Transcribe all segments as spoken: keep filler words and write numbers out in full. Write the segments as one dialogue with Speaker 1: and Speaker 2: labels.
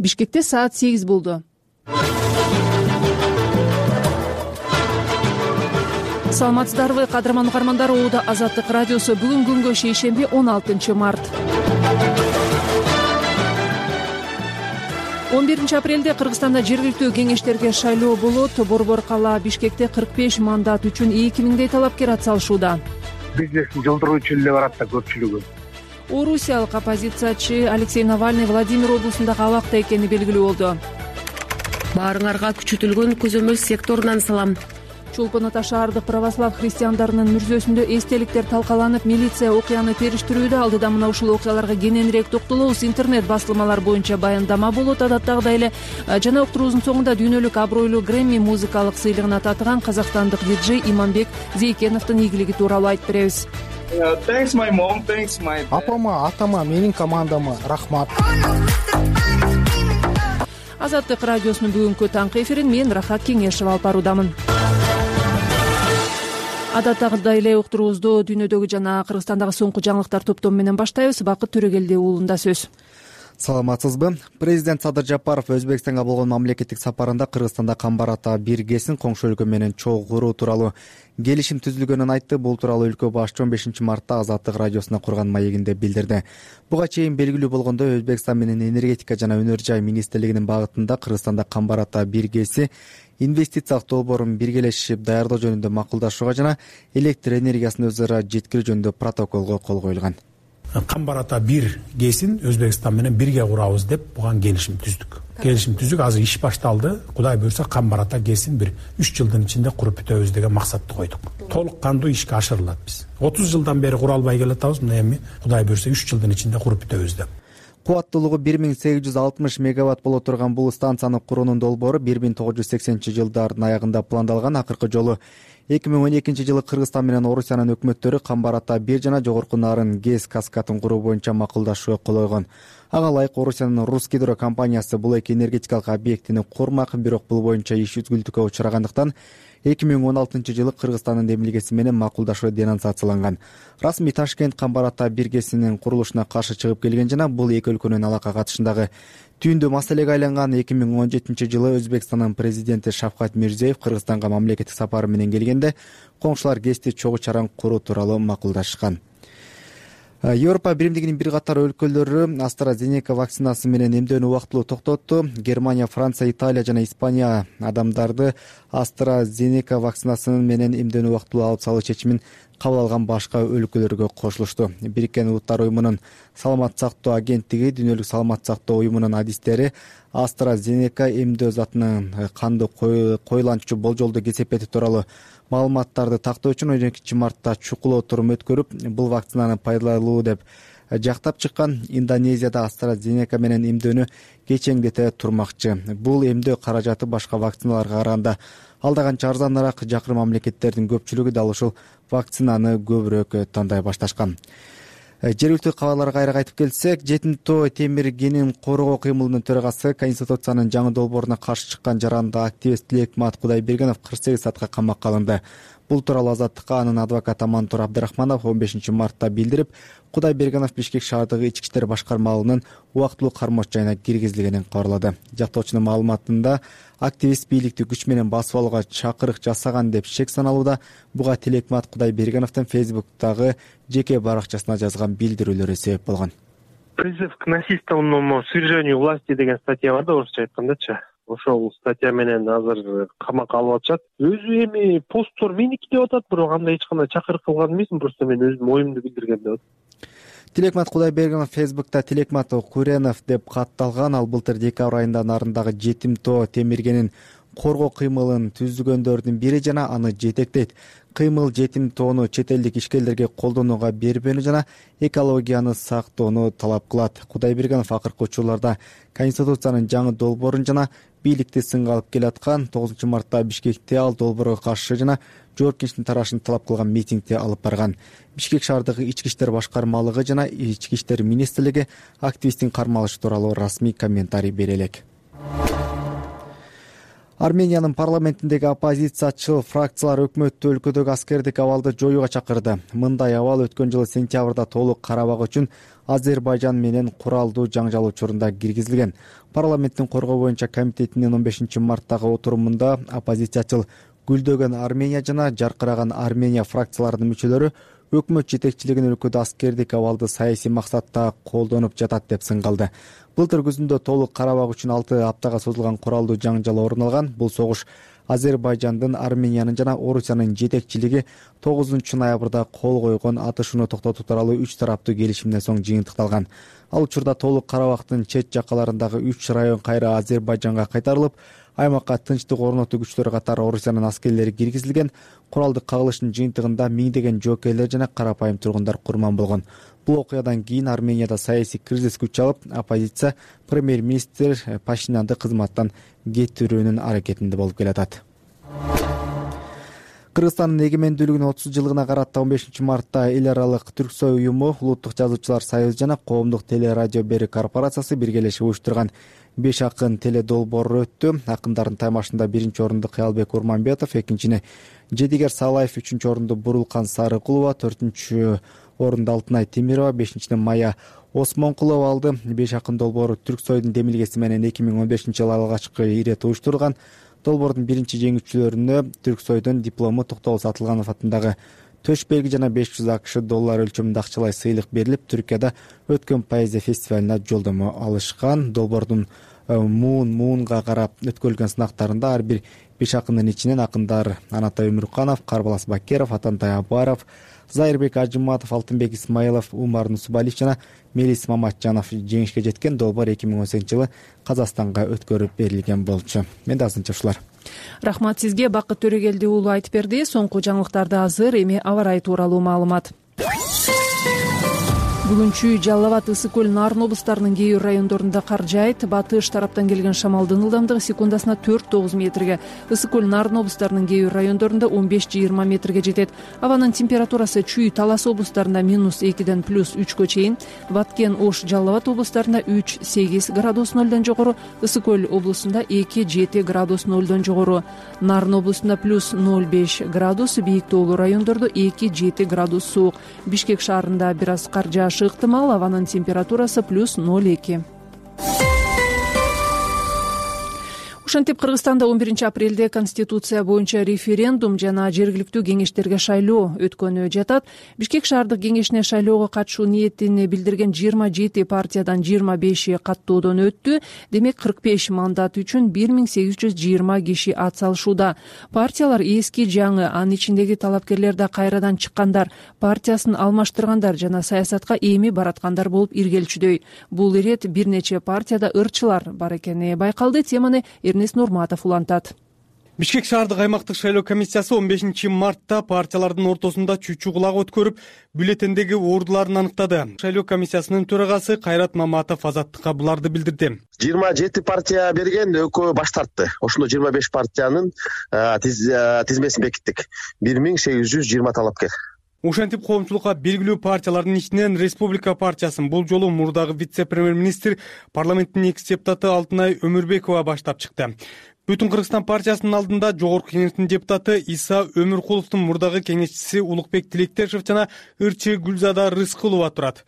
Speaker 1: Бишкекте саат сегиз болду. Саламатсыздарбы, кадырман угармандар. Оуда Азаттык радиосу. Бүгүн күнгө шейшемби он алтынчы март. он биринчи апрелде Кыргызстанда жергиликтүү кеңештерге шайлоо болот. Борбор кала Бишкекте кырк беш мандат үчүн эки миңдей талапкер атсалышууда.
Speaker 2: Бизнесин жылдыруучу эле барат да көпчүлүгү.
Speaker 1: Орусиялык оппозициячы Алексей Навальный Владимир облусундагы абакта экени белгилүү болду.
Speaker 3: Баарыңарга күчөтүлгөн көзөмөл секторунан салам.
Speaker 1: Чолпон Ата шаардык православ христиандарынын мүрзөсүндө эстеликтер талкаланып, милиция окуяны териштирүүдө. Алдыда мына ушул окуяларга кененирээк токтолобуз. Интернет басылмалар боюнча баяндама болот. Адаттагыдай эле жана уктуруубуздун соңунда дүйнөлүк абройлуу Грэмми музыкалык сыйлыгына татыган казакстандык диджей Иманбек Зейкеновдун ийгилиги тууралуу айтып беребиз.
Speaker 4: Апама, атама, менин командама рахмат.
Speaker 1: Азаттык радиосунун бүгүнкү таңкы эфирин мен Рахат Кеңешева алып баруудамын. Адаттагыдай эле уктуруубузду дүйнөдөгү жана Кыргызстандагы соңку жаңылыктар топтому менен баштайбыз. Бакыт Төрөгелди уулунда сөз.
Speaker 5: Саламатсызбы? Президент Садыр Жапаров Өзбекстанга болгон мамлекеттик сапарында Кыргызстанда Камбар Ата бир ГЭСин коңшу өлкө менен чогуу куруу тууралуу келишим түзүлгөнүн айтты. Бул тууралуу өлкө башчы он бешинчи мартта Азаттык радиосуна курган маегинде билдирди. Буга чейин белгилүү болгондой, Өзбекстан менен энергетика жана өнөр жай министрлигинин багытында Кыргызстанда Камбар Ата бир ГЭСи инвестициялык долбоорун биргелешип даярдоо жөнүндө макулдашууга жана электр энергиясын өз ара жеткирүү жөнүндө протоколго кол коюлган.
Speaker 6: Камбар Ата бир ГЭСин Өзбекстан менен бирге курабыз деп буга келишим түздүк. Келишим түздүк, азыр иш башталды. Кудай буйрса Камбар Ата ГЭСин бир үч жылдын ичинде куруп бүтөбүз деген максатты койдук. Толук кандуу ишке ашырылат биз. отуз жылдан бери кура албай келатабыз, мына эми Кудай буйрса үч жылдын ичинде куруп бүтөбүз деп.
Speaker 5: Кубаттуулугу бир миң сегиз жүз алтымыш мегаватт боло турган бул станцияны куруунун долбоору бир миң тогуз жүз сексенинчи жылдардын аягында пландалган. Акыркы жолу эки миң он экинчи жылы Кыргызстан менен Орусиянын өкмөттөрү Камбар Ата бир жана жогорку нарын ГЭС каскадын куруу боюнча макулдашууга кол койгон. Ага ылайык Орусиянын Русгидро компаниясы бул эки энергетикалык объектини курмак, бирок бул боюнча иш үзгүлтүккө учурагандыктан эки миң он алтынчы жылы Кыргызстандын демилгеси менен макулдашуу денонсацияланган. Расмий Ташкент Камбар Ата бир ГЭСинин курулушуна каршы чыгып келген жана бул эки өлкөнүн алака катышындагы түйүндүү маселеге айланган. эки миң он жетинчи жылы Өзбекстандын президенти Шавкат Мирзиеев Кыргызстанга мамлекеттик сапары менен келгенде коңшулар ГЭСти чогуу чараң куруу тууралуу макулдашкан. Европа биримдигинин бир катар өлкөлөрү AstraZeneca вакцинасы менен эмдөөнү убактылуу токтотту. Германия, Франция, Италия жана Испания адамдарды AstraZeneca вакцинасы менен эмдөөнү убактылуу алып салуу чечимин кабыл алган башка өлкөлөргө кошулушту. Бириккен Улуттар уюмунун саламат сактоо агенттиги, Дүйнөлүк саламат сактоо уюмунун адистери AstraZeneca эмдөө затынын канды коюланчу болжолду кесепети тууралуу маалыматтарды тактоо үчүн он экинчи мартта чукул отурум өткөрүп, бул вакцинаны пайдалуу деп жактап чыккан. Индонезияда AstraZeneca менен эмдөөнү кечеңдете турмакчы. Бул эмдөө каражаты башка вакциналарга караганда алда канча арзаныраак. Жакыр мамлекеттердин көпчүлүгү дал ушул вакцинаны көбүрөөк тандай башташкан. Жергиликтүү кабарларга кайра кайтып келсек, жетим тоо темиргенин коргоо кыймылынын төрагасы Конституциянын жаңы долбооруна каршы чыккан жаранда активист Тилекмат Кудайбергенов кырк сегиз саатка камакка алынды. Бул тууралуу Азаттыкка анын адвокаты Амантур Абдрахманов он бешинчи мартта билдирип, Кудайбергенов Бишкек шаардыгы ички иштер башкармалыгынын убактылуу кармош жайына киргизилгенин кабарлады. Жактоочунун маалыматында активист бийликти күч менен басып алууга чакырык жасаган деп шек саналууда. Буга Тилекмат Кудайбергеновдун Фейсбуктагы жеке баракчасына жазган билдирүүлөрү себеп болгон.
Speaker 2: Призыв к насильственному свержению власти деген статья бар да, орусча айткандачы. Ошол статья менен азыр камакка алып атышат. Өзү эми посттор меники деп атат, бирок андай эч кандай чакырык кылган эмесмин, просто мен өзүм оюмду билдиргем деп атат.
Speaker 5: Тилекмат Кудайбергенов Фейсбукта Тилекмат Куренов деп катталган. Ал былтыр декабрь айында нарындагы жетим тоо темиргенин коргоо кыймылын түзгөндөрдүн бири жана аны жетектейт. Кыймыл жетим тоону чет элдик ишкерлерге колдонууга бербөөнү жана экологияны сактоону талап кылат. Кудайбергенов акыркы учурларда Конституциянын жаңы долбоорун жана бийликти сынга алып келаткан. тогузунчу мартта Бишкекте ал долбоорго каршы жана жоопкерчиликтин тарашын талап кылган митингди алып барган. Бишкек шаардыгы ички иштер башкармалыгы жана ички иштер министрлиги активисттин кармалышы тууралуу расмий комментарий бере элек. Армениянын парламентиндеги оппозициячыл фракциялар өкмөттү өлкөдөгү аскердик абалды жоюуга чакырды. Мындай абал өткөн жылы сентябрда толук карабак үчүн Азербайжан менен куралдуу жаңжал учурунда киргизилген. Парламенттин коргоо боюнча комитетинин он бешинчи марттагы отурумунда оппозициячыл Гүлдөгөн Армения жана Жаркыраган Армения фракцияларынын мүчөлөрү өкмөт жетекчилигин өлкөдө аскердик абалды саясий максатта колдонуп жатат деп сынгалды. Былтыр күзүндө толук карабак үчүн алты аптага созулган куралдуу жаңжал орун алган. Бул согуш Азербайжандын, Армениянын жана Орусиянын жетекчилиги тогузунчу ноябрда кол койгон атышууну токтотуу тууралуу үч тараптуу келишимден соң жыйынтыкталган. Ал учурда толук карабактын чет жакаларындагы үч район кайра Азербайжанга кайтарылып, аймакка тынчтык орнотуу күчтөрү катары Орусиянын аскерлери киргизилген. Куралдык кагылыштын жыйынтыгында миңдеген жоокейлер жана карапайым тургундар курман болгон. Бул окуядан кийин Арменияда саясий кризис күч алып, оппозиция премьер-министр Пашинянды кызматтан кетирүүнүн аракетинде болуп келатат. Кыргызстандын эгемендүүлүгүнүн отуз жылдыгына карата он бешинчи мартта эл аралык Түрксой уюму, Улуттук жазуучулар союзу жана Коомдук телерадио берик корпорациясы биргелешип уюштурган беш акын теле долбоору өттү. Акындардын таймашында биринчи орунду Кыялбек Урманбетов, экинчини Жедигер Салаев, үчүнчү орунду Бурулкан Сарыкулова, төртүнчү орунду Алтынай Темирова, бешинчиден Мая Осмонкулова алды. Беш акын долбоору Түрксойдун демилгеси менен эки миң он бешинчи жылы алгачкы ирет уюштурулган. Долбоордун биринчи жеңүүчүлөрүнө Түрксойдун диплому, Токтогул Сатылганов атындагы төш белги жана беш жүз акш доллар өлчөмүндө акчалай сыйлык берилип, Түркияда өткөн поэзия фестивалына жолдомо алышкан. Долбоордун муун муунга карап өткөрүлгөн сынактарында ар бир беш акындын ичинен акындар Анатай Өмүрканов, Карбалас Бакеров, Атантай Абаров, Зайырбек Ажыматов, Алтынбек Исмаилов, Умар Нусубалиев жана Мелис Маматжанов жеңишке жеткен. Долбоор эки миң он сегизинчи жылы Казакстанга өткөрүп берилген болчу. Менде азырынча ушулар.
Speaker 1: Рахмат сизге. Бакыт Төрөгелди уулу айтып берди. Соңку жаңылыктарды азыр, эми аба ырайы тууралуу маалымат. Бүгүнчү Жалал Абад, Ысык көл, Нарын облустарынын кээ бир райондорунда кар жаайт. Батыш тараптан келген шамалдын ылдамдыгы секундасына төрт тогуз метрге, Ысык көл, Нарын облустарынын кээ бир райондорунда он беш жыйырма метрге жетет. Абанын температурасы Чүй, Талас облустарында минус экиден плюс үчкө чейин, Баткен, Ош, Жалал Абад облустарында үч сегиз градус нөлдөн жогору, Ысык көл облусунда эки жети градус нөлдөн жогору, Нарын облусунда плюс ноль беш градус, бийик тоолуу райондордо эки жети градус суук. Бишкек шаарында бир аз кар жаашы ыктымал, абанын температурасы плюс ноль эки. Ошентип, Кыргызстанда он биринчи апрелде Конституция боюнча референдум жана жергиликтүү кеңештерге шайлоо өткөнү жатат. Бишкек шаардык кеңешине шайлоого катышуу ниетин билдирген жыйырма жети партиядан жыйырма беши каттоодон өттү. Демек, кырк беш мандат үчүн бир миң сегиз жүз жыйырма киши ат салышууда. Партиялар эски жаңы, анын ичиндеги талапкерлер да кайрадан чыккандар, партиясын алмаштыргандар жана саясатка эми бараткандар болуп иргелчүдөй. Бул ирет бир нече партияда ырчылар бар экени байкалды. Теманы Эрнест Нурматов улантат.
Speaker 7: Бишкек шаардык аймактык шайлоо комиссиясы он бешинчи мартта партиялардын ортосунда чүчү кулак өткөрүп, бюллетендеги ордуларын аныктады. Шайлоо комиссиясынын төрагасы Кайрат Маматов Азаттыкка буларды билдирди.
Speaker 8: жыйырма жети партия берген, экөө баш тартты. Ошондо жыйырма беш партиянын тизмесин бекиттик. бир миң сегиз жүз жыйырма талапкер.
Speaker 7: Ошентип, коомчулукка белгилүү партиялардын ичинен Республика партиясын бул жолу мурдагы вице-премьер-министр, парламенттин экс депутаты Алтынай Өмүрбекова баштап чыкты. Бүтүн Кыргызстан партиясынын алдында жогорку кеңештин депутаты Иса Өмүркуловдун мурдагы кеңешчиси Улукбек Тилектешев жана ырчы Гүлзада Рыскулова турат.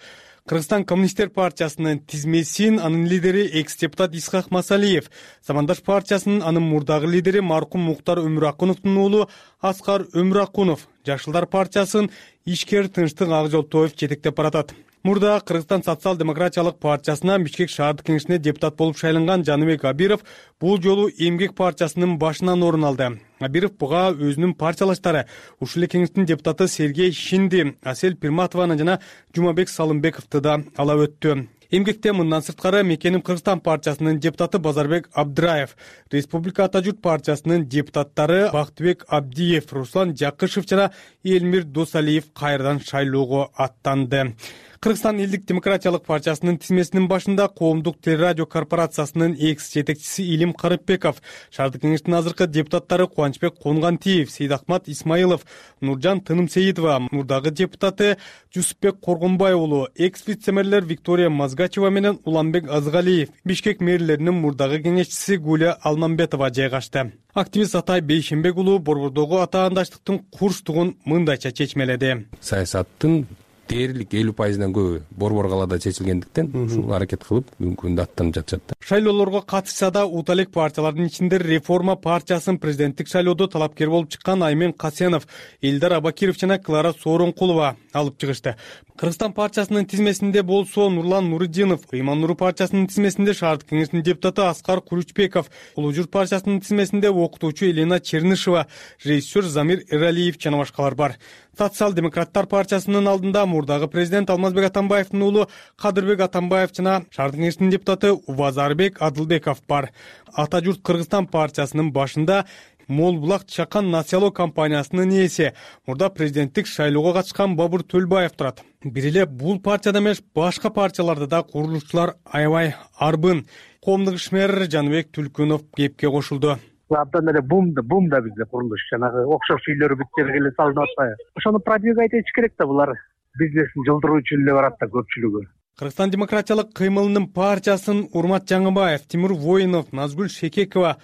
Speaker 7: Кыргызстан коммунисттер партиясынын тизмесин анын лидери экс-депутат Исхак Масалиев, Замандаш партиясынын анын мурдагы лидери маркум Муктар Өмүракуновдун уулу Аскар Өмүракунов, Жашылдар партиясын ишкер Тынчтык Акжолтоев жетектеп баратат. Мурда Кыргызстан социал-демократиялык партиясынан Бишкек шаардык кеңешине депутат болуп шайланган Жаныбек Абиров бул жолу Эмгек партиясынын башынан орун алды. Абиров буга өзүнүн партиялаштары, ушул эле кеңештин депутаты Сергей Шинди, Асель Пирматованы жана Жумабек Салымбековду да ала өттү. Эмгекте мындан сырткары Мекеним Кыргызстан партиясынын депутаты Базарбек Абдыраев, Республика Ата журт партиясынын депутаттары Бактыбек Абдиев, Руслан Жакышев жана Элмир Досалиев кайрадан шайлоого аттанды. Кыргызстан элдик демократиялык партиясынын тизмесинин башында Коомдук телерадио корпорациясынын экс жетекчиси Илим Карыпбеков, шаардык кеңештин азыркы депутаттары Кубанычбек Конгантиев, Сейдахмат Исмаилов, Нуржан Тынымсеитова, мурдагы депутаты Жусупбек Коргонбай уулу, экс вице-мэрлер Виктория Мазгачева менен Уланбек Азгалиев, Бишкек мэрлеринин мурдагы кеңешчиси Гуля Алмамбетова жайгашты. Активист Атай Бейшенбек уулу борбордогу атаандаштыктын курчтугун мындайча чечмеледи.
Speaker 9: Саясаттын дээрлик элүү пайыздан көбү борбор калаада чечилгендиктен ушул аракет кылып бүгүнкү күндө аттанып жатышат.
Speaker 7: Шайлоолорго катышса да ута элек партиялардын ичинде Реформа партиясынын президенттик шайлоодо талапкер болуп чыккан Аймен Касенов, Элдар Абакиров жана Клара Сооронкулова алып чыгышты. Кыргызстан партиясынын тизмесинде болсо Нурлан Нуриддинов, Ыйман Нуру партиясынын тизмесинде шаардык кеңештин депутаты Аскар Куручбеков, Улуу Журт партиясынын тизмесинде окутуучу Елена Чернышева, режиссер Замир Эралиев жана башкалар бар. Социал-демократтар партиясынын алдында мурдагы президент Алмазбек Атамбаевдин уулу Кадырбек Атамбаев жана шаардык кеңештин депутаты Убазарбек Адылбеков бар. Ата журт Кыргызстан партиясынын башында Мол Булак Чакан Насиялоо компаниясынын ээси, мурда президенттик шайлоого катышкан Бабур Төлбаев турат. Бир эле бул партияда эмес, башка партияларда да курулушчулар аябай арбын. Коомдук ишмер Жаныбек Түлкүнов кепке кошулду.
Speaker 2: Абдан эле бум да бум да бизде курулуш, жанагы окшош үйлөр бүт жерге эле салынып атпайбы. Ошону продвигать этиш керек да, булар бизнесин жылдыруу үчүн эле барат да көпчүлүгү.
Speaker 7: Кыргызстан демократиялык кыймылынын партиясын Урмат Жаңыбаев, Тимур Воинов, Назгүл Шекекова,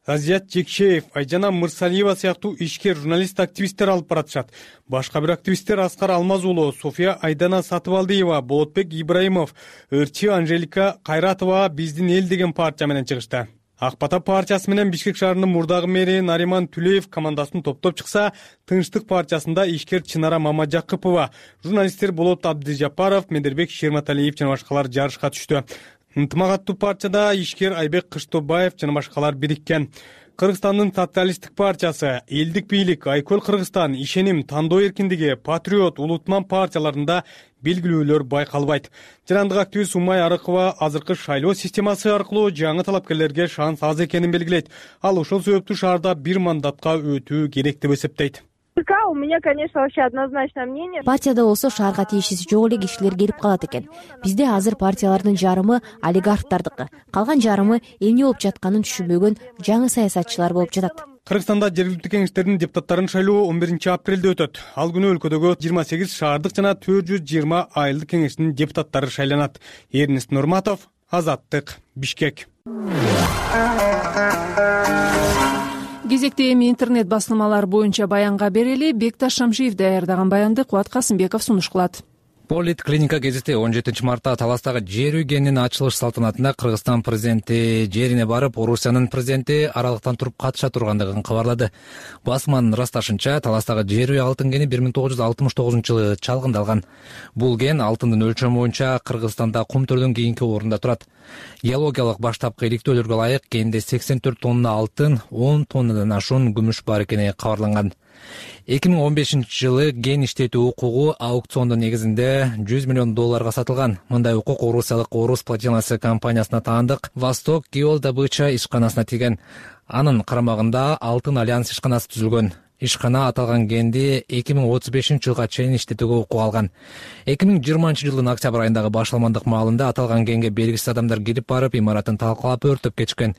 Speaker 7: Азият Жекшеев, Айжана Мырсалиева сыяктуу ишкер журналист-активисттер алып баратышат. Башка бир активисттер Аскар Алмаз уулу, София Айдана Сатыбалдиева, Болотбек Ибраимов, Өрчи Анжелика Кайратова биздин эл деген партия менен чыгышты. Ак Бата партиясы менен Бишкек шаарынын мурдагы мэри Нариман Түлеев командасын топтоп чыкса, Тынчтык партиясында ишкер Чынара Мамажакыпова, журналисттер Болот Абдыжапаров, Медербек Шерматалиев жана башкалар жарышка түштү. Ынтымагаттуу партияда ишкер Айбек Кыштобаев жана башкалар бириккен. Кыргызстандын социалисттик партиясы, Элдик бийлик, Айкөл Кыргызстан, Ишеним, Тандоо эркиндиги, Патриот, Улутман партияларында белгилүүлөр байкалбайт. Жарандык активист Умай Арыкова азыркы шайлоо системасы аркылуу жаңы талапкерлерге шанс аз экенин белгилейт. Ал ошол себептүү шаарда бир мандатка өтүү керек деп эсептейт.
Speaker 10: У меня, конечно, вообще однозначное мнение.
Speaker 11: Партияда болсо шаарга тиешеси жок эле кишилер келип калат экен. Бизде азыр партиялардын жарымы олигархтардыкы, калган жарымы эмне болуп жатканын түшүнбөгөн жаңы саясатчылар болуп жатат.
Speaker 7: Кыргызстанда жергиликтүү кеңештердин депутаттарын шайлоо он биринчи апрелде өтөт. Ал күнү өлкөдөгү жыйырма сегиз шаардык жана төрт жүз жыйырма айылдык кеңештин депутаттары шайланат. Эрнест Нурматов, Азаттык, Бишкек.
Speaker 1: Кезекте эми интернет басылмалар боюнча баянга берели. Бекташ Шамшиев даярдаган баянды Кубат Касымбеков сунуш кылат.
Speaker 12: Политклиника гезити он жетинчи мартта Таластагы жер үйгенин ачылыш салтанатында Кыргызстан президенти жерине барып, Орусиянын президенти аралыктан туруп катыша тургандыгын кабарлады. Басманын ырасташынча, Таластагы жер үй алтын кени бир миң тогуз жүз алтымыш тогузунчу жылы чалгындалган. Бул кен алтындын өлчөмү боюнча Кыргызстанда кум төрдөн кийинки орунда турат. Геологиялык баштапкы иликтөөлөргө ылайык кенде сексен төрт тонна алтын, он тоннадан ашуун күмүш бар экени кабарланган. эки миң он бешинчи жылы кен иштетүү укугу аукциондун негизинде жүз миллион долларга сатылган. Мындай укук орусиялык Орус платинасы компаниясына таандык Восток Геолдобыча ишканасына тийген. Анын карамагында Алтын альянс ишканасы түзүлгөн. Ишкана аталган кенди эки миң отуз бешинчи жылга чейин иштетүүгө укук алган. эки миң жыйырманчы жылдын октябрь айындагы башаламандык маалында аталган кенге белгисиз адамдар кирип барып, имаратын талкалап өртөп кетишкен.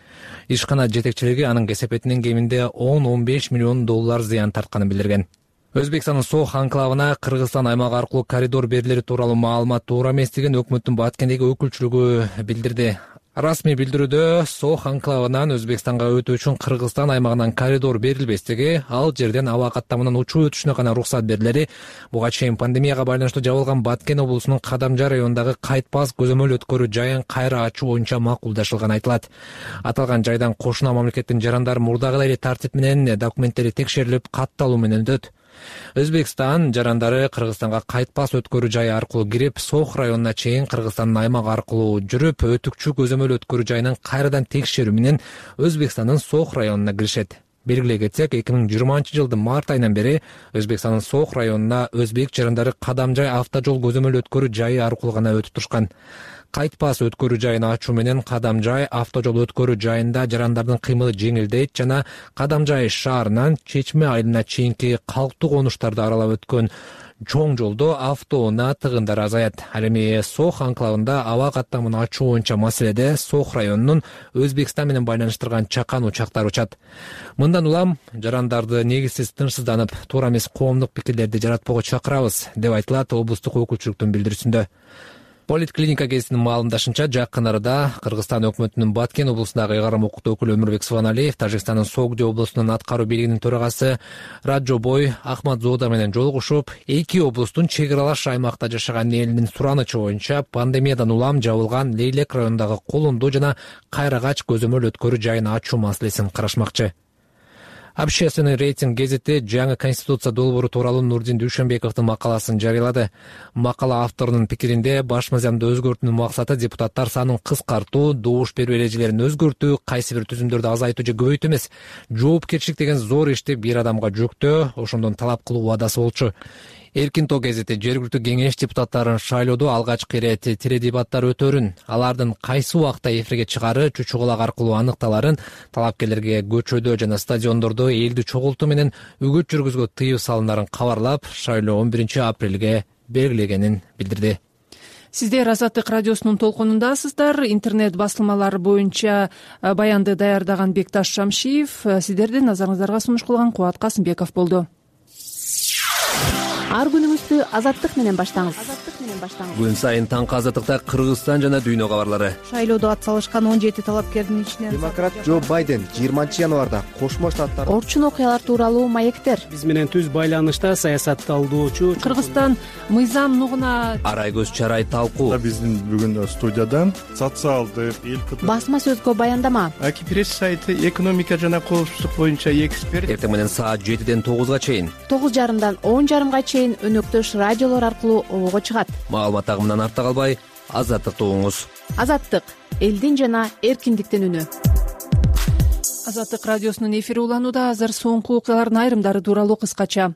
Speaker 12: Ишкана жетекчилиги анын кесепетинен кеминде он он беш миллион доллар зыян тартканын билдирген. Өзбекстандын Сох анклавына Кыргызстан аймагы аркылуу коридор берилери тууралуу маалымат туура эместигин өкмөттүн Баткендеги өкүлчүлүгү билдирди. Расмий билдирүүдө Сох анклавынан Өзбекстанга өтүү үчүн Кыргызстан аймагынан коридор берилбестиги, ал жерден аба каттамынан учуу өтүшүнө гана уруксат берилери, буга чейин пандемияга байланыштуу жабылган Баткен облусунун Кадамжай районундагы Кайтпас көзөмөл өткөрүү жайын кайра ачуу боюнча макулдашылган айтылат. Аталган жайдан кошуна мамлекеттин жарандары мурдагы эле тартип менен документтери текшерилип, катталуу менен өтөт. Өзбекстан жарандары Кыргызстанга Кайтпас өткөрүү жайы аркылуу кирип, Сох районуна чейин Кыргызстандын аймагы аркылуу жүрүп, өтүкчү көзөмөл өткөрүү жайынын кайрадан текшерүү менен Өзбекстандын Сох районуна киришет. Белгилей кетсек, эки миң жыйырманчы жылдын март айынан бери Өзбекстандын Сох районуна өзбек жарандары Кадамжай автожол көзөмөл өткөрүү жайы аркылуу гана өтүп турушкан. Кайтпас өткөрүү жайын ачуу менен Кадамжай автожол өткөрүү жайында жарандардын кыймылы жеңилдейт жана Кадамжай шаарынан Чечме айылына чейинки калктуу конуштарды аралап өткөн чоң жолдо автоунаа тыгындар азаят. Ал эми Сох анклавында аба каттамын ачуу боюнча маселеде Сох районунун Өзбекстан менен байланыштырган чакан учактар учат. Мындан улам жарандарды негизсиз тынчсызданып, туура эмес коомдук пикирлерди жаратпоого чакырабыз, деп айтылат облустук өкүлчүлүктүн билдирүүсүндө. Политклиника гезитинин маалымдашынча, жакын арада Кыргызстан өкмөтүнүн Баткен облусундагы ыйгарым укуктуу өкүлү Өмүрбек Субаналиев Тажикстандын Согди облусунун аткаруу бийлигинин төрагасы Раджобой Ахмадзода менен жолугушуп, эки облустун чек аралаш аймакта жашаган элинин суранычы боюнча пандемиядан улам жабылган Лейлек районундагы Колундоо жана Кайрагач көзөмөл өткөрүү жайын ачуу маселесин карашмакчы. Общественный рейтинг гезити жаңы конституция долбоору тууралуу Нурдин Дүйшөнбековдун макаласын жарыялады. Макала авторунун пикиринде баш мыйзамды өзгөртүүнүн максаты депутаттар санын кыскартуу, добуш берүү эрежелерин өзгөртүү, кайсы бир түзүмдөрдү азайтуу же көбөйтүү эмес, жоопкерчилик деген зор ишти бир адамга жүктөө, ошондон талап кылуу убадасы болчу. Эркин тоо гезити жергиликтүү кеңеш депутаттарын шайлоодо алгачкы ирет теледебаттар өтөрүн, алардын кайсы убакта эфирге чыгары чучугулак аркылуу аныкталарын, талапкерлерге көчөдө жана стадиондордо элди чогултуу менен үгүт жүргүзүүгө тыюу салынарын кабарлап, шайлоо он биринчи апрелге белгилегенин билдирди.
Speaker 1: Сиздер Азаттык радиосунун толкунундасыздар. Интернет басылмалары боюнча баянды даярдаган Бекташ Шамшиев, сиздердин назарыңыздарга сунуш кылган Кубат Касымбеков болду.
Speaker 11: Ар күнүңүздү Азаттык менен баштаңыз.
Speaker 13: Күн сайын таңкы Азаттыкта Кыргызстан жана дүйнө кабарлары.
Speaker 14: Шайлоодо ат салышкан он жети талапкердин ичинен
Speaker 5: демократ Джо Байден жыйырманчы январда Кошмо Штаттар
Speaker 11: орчун окуялар тууралуу маектер.
Speaker 15: Биз менен түз байланышта саясатталдоочу
Speaker 1: Кыргызстан мыйзам нугуна
Speaker 13: арай көз чарай талкуу.
Speaker 16: Биздин бүгүн студиядан социалдык эл
Speaker 11: басма сөзгө баяндама.
Speaker 17: Аки пресс сайты экономика жана коопсуздук боюнча эксперт.
Speaker 13: Эртең менен саат жетиден тогузга чейин,
Speaker 11: тогуз жарымдан он жарымга чейин өнөктөш радиолор аркылуу обого чыгат.
Speaker 13: Маалымат агымынан артта калбай, Азаттыкты угуңуз.
Speaker 11: Азаттык — элдин жана эркиндиктин үнү.
Speaker 1: Азаттык радиосунун эфири уланууда. Азыр соңку окуялардын айрымдары тууралуу кыскача.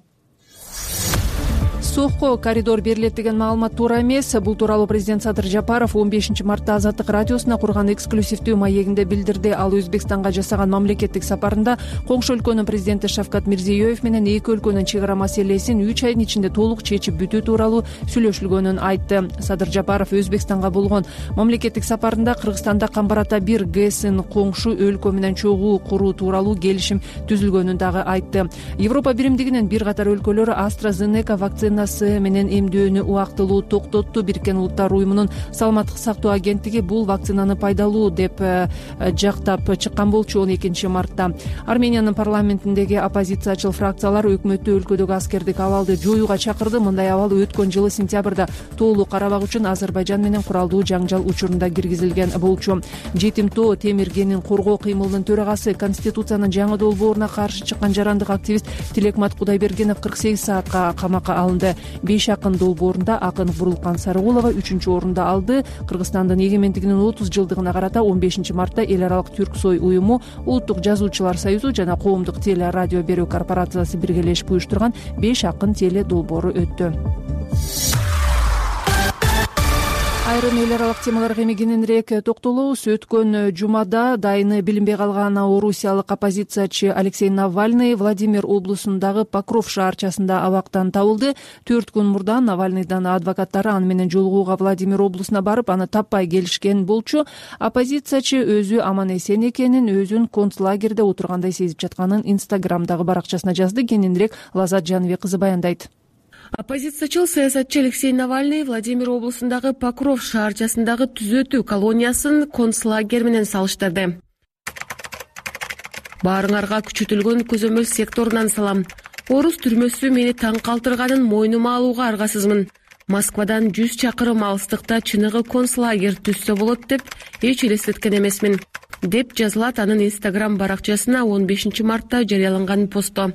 Speaker 1: Сохко коридор берилет деген маалымат туура эмес. Бул тууралуу президент Садыр Жапаров он бешинчи мартта Азаттык радиосуна курган эксклюзивдүү маегинде билдирди. Ал Өзбекстанга жасаган мамлекеттик сапарында коңшу өлкөнүн президенти Шавкат Мирзиёев менен эки өлкөнүн чек ара маселесин үч айдын ичинде толук чечип бүтүү тууралуу сүйлөшүлгөнүн айтты. Садыр Жапаров Өзбекстанга болгон мамлекеттик сапарында Кыргызстанда Камбар-Ата бир ГЭСин коңшу өлкө менен чогуу куруу тууралуу келишим түзүлгөнүн дагы айтты. Европа биримдигинин бир катар өлкөлөрү AstraZeneca вакцина менен эмдөөнү убактылуу токтотту. Бириккен Улуттар уюмунун саламаттык сактоо агенттиги бул вакцинаны пайдалуу деп жактап чыккан болчу он экинчи мартта. Армениянын парламентиндеги оппозициячыл фракциялар өкмөттү өлкөдөгү аскердик абалды жоюуга чакырды. Мындай абал өткөн жылы сентябрда Тоолуу Карабак үчүн Азербайжан менен куралдуу жаңжал учурунда киргизилген болчу. Жетим тоо Темиргенин коргоо кыймылынын төрагасы, Конституциянын жаңы долбооруна каршы чыккан жарандык активист Тилекмат Кудайбергенов кырк сегиз саатка камакка алынды. Беш акын долбоорунда акын Бурулкан Сарыгулова үчүнчү орунду алды. Кыргызстандын эгемендигинин отуз жылдыгына карата он бешинчи мартта эл аралык Түрксой уюму, Улуттук жазуучулар союзу жана Коомдук теле радио берүү корпорациясы биргелешип уюштурган беш акын теле долбоору өттү. Айрым эл аралык темаларга эми кененирээк токтолобуз. Өткөн жумада дайыны билинбей калган орусиялык оппозициячы Алексей Навальный Владимир облусундагы Покров шаарчасында абактан табылды. Төрт күн мурда Навальныйдын адвокаттары аны менен жолугууга Владимир облусуна барып, аны таппай келишкен болчу. Оппозициячы өзү аман эсен экенин, өзүн концлагерде отургандай сезип жатканын Инстаграмдагы баракчасына жазды. Кененирээк Лазат Жаныбек кызы баяндайт.
Speaker 3: Оппозициячыл саясатчы Алексей Навальный Владимир облусундагы Покров шаарчасындагы түзөтүү колониясын концлагерь менен салыштырды. Баарыңарга күчөтүлгөн көзөмөл секторунан салам. Орус түрмөсү мени таң калтырганын мойнума алууга аргасызмын. Москвадан жүз чакырым алыстыкта чыныгы концлагерь түзсө болот деп эч элестеткен эмесмин, деп жазылат анын Инстаграм баракчасына он бешинчи мартта жарыяланган постто.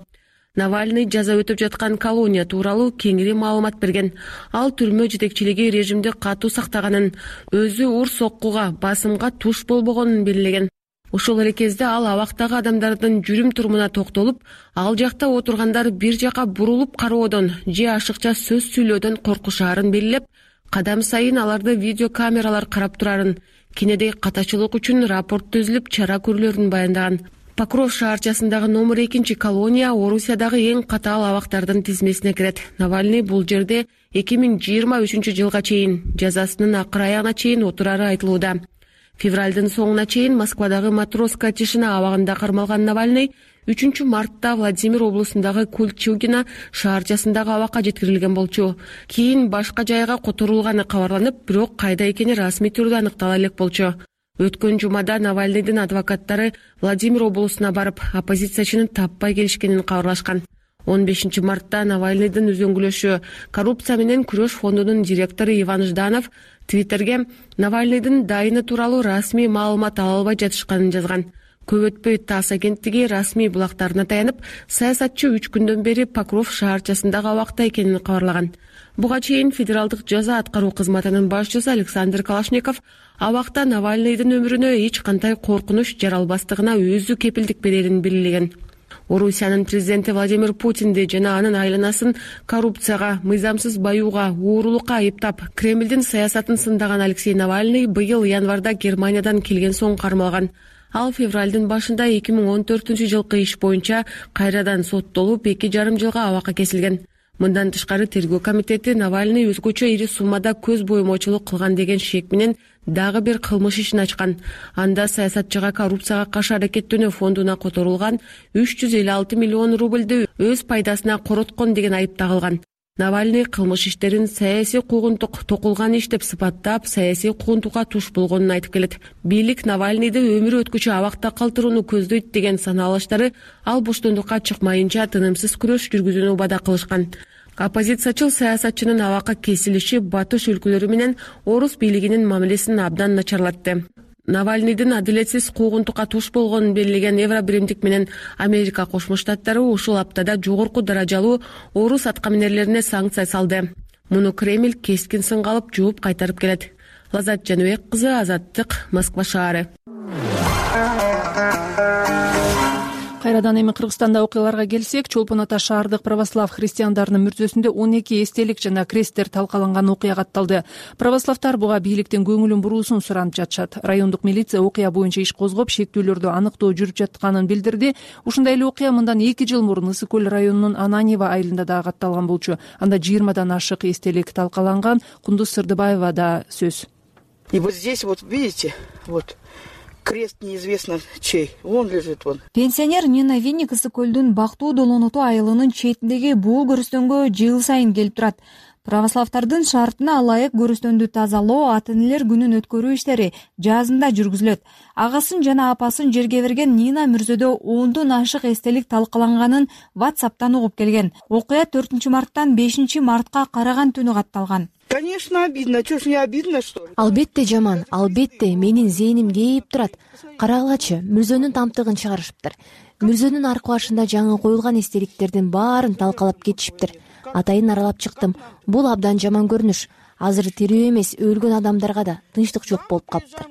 Speaker 3: Навальный жаза өтүп жаткан колония тууралуу кеңири маалымат берген. Ал түрмө жетекчилиги режимди катуу сактаганын, өзү ур соккуга, басымга туш болбогонун белгилеген. Ошол эле кезде ал абактагы адамдардын жүрүм турумуна токтолуп, ал жакта отургандар бир жака бурулуп кароодон же ашыкча сөз сүйлөөдөн коркушаарын белгилеп, кадам сайын аларды видеокамералар карап турарын, кенедей катачылык үчүн рапорт түзүлүп, чара көрүлөрүн баяндаган. Покров шаарчасындагы номер экинчи колония Орусиядагы эң катаал абактардын тизмесине кирет. Навальный бул жерде эки миң жыйырма үчүнчү жылга чейин жазасынын акыр аягына чейин отурары айтылууда. Февралдын соңуна чейин Москвадагы Матроска тишина абагында кармалган Навальный үчүнчү мартта Владимир облусундагы Кульчугино шаарчасындагы абакка жеткирилген болчу. Кийин башка жайга которулганы кабарланып, бирок кайда экени расмий түрдө аныктала элек болчу. Өткөн жумада Навальныйдын адвокаттары Владимир облусуна барып, оппозициячыны таппай келишкенин кабарлашкан. он бешинчи мартта Навальныйдын үзөңгүлөшү коррупция менен күрөш фондунун директору Иван Жданов Твиттерге Навальныйдын дайыны тууралуу расмий маалымат ала албай жатышканын жазган. Көп өтпөй ТАСС агенттиги расмий булактарына таянып, саясатчы үч күндөн бери Покров шаарчасындагы абакта экенин кабарлаган. Буга чейин федералдык жаза аткаруу кызматынын башчысы Александр Калашников абакта Навальныйдын өмүрүнө эч кандай коркунуч жаралбастыгына өзү кепилдик берерин белгилеген. Орусиянын президенти Владимир Путинди жана анын айланасын коррупцияга, мыйзамсыз баюуга, уурулукка айыптап, Кремлдин саясатын сындаган Алексей Навальный быйыл январда Германиядан келген соң кармалган. Ал февралдын башында эки миң он төртүнчү жылкы иш боюнча кайрадан соттолуп, эки жарым жылга абакка кесилген. Мындан тышкары тергөө комитети Навальный өзгөчө ири суммада көз боюмочулук кылган деген шек менен дагы бир кылмыш ишин ачкан. Анда саясатчыга коррупцияга каршы аракеттөнүү фондуна которулган үч жүз элүү алты миллион рубльды өз пайдасына короткон деген айып тагылган. Навальный кылмыш иштерин саясий куугунтук токулган иш деп сыпаттап, саясий куугунтукка туш болгонун айтып келет. Бийлик Навальныйды өмүрү өткүчө абакта калтырууну көздөйт деген санаалыштары ал боштондукка чыкмайынча тынымсыз күрөш жүргүзүүнү убада кылышкан. Оппозициячыл саясатчынын абакка кесилиши батыш өлкөлөрү менен орус бийлигинин мамилесин абдан начарлатты. Навальныйдын адилетсиз куугунтукка туш болгонун белгилеген Евробиримдик менен Америка Кошмо Штаттары ушул аптада жогорку даражалуу орус аткаминерлерине санкция салды. Муну Кремль кескин сынга алып жооп кайтарып келет. Лазат Жаныбек кызы, Азаттык, Москва шаары.
Speaker 1: Кайрадан эми Кыргызстанда окуяларга келсек, Чолпон Ата шаардык православ христиандарынын мүрзөсүндө он эки эстелик жана кресттер талкаланган окуя катталды. Православтар буга бийликтин көңүлүн буруусун суранып жатышат. Райондук милиция окуя боюнча иш козгоп, шектүүлөрдү аныктоо жүрүп жатканын билдирди. Ушундай эле окуя мындан эки жыл мурун Ысык көл районунун Ананьево айылында да катталган болчу. Анда жыйырмадан ашык эстелик талкаланган. Кундуз Сырдыбаева да сөз.
Speaker 18: И вот здесь вот видите, вот крест неизвестно чей, он лежит вон.
Speaker 19: Пенсионер Нина Винник Ысык көлдүн Бактуу Долоноту айылынын четиндеги бул көрүстөнгө жыл сайын келип турат. Православтардын шартына ылайык көрүстөндү тазалоо, ата-энелер күнүн өткөрүү иштери жазында жүргүзүлөт. Агасын жана апасын жерге берген Нина мүрзөдө ондон ашык эстелик талкаланганын WhatsApp'тан угуп келген. Окуя төртүнчү марттан бешинчи мартка караган түнү катталган.
Speaker 18: Конечно, обидно. Чё ж не обидно, что ли?
Speaker 11: Албетте жаман, албетте менин зээним кейип турат. Карагылачы, мүрзөнүн тамтыгын чыгарышыптыр. Мүрзөнүн аркы башында жаңы коюлган эстеликтердин баарын талкалап кетишиптир. Атайын аралап чыктым. Бул абдан жаман көрүнүш. Азыр тирүү эмес, өлгөн адамдарга да тынчтык жок болуп калыптыр.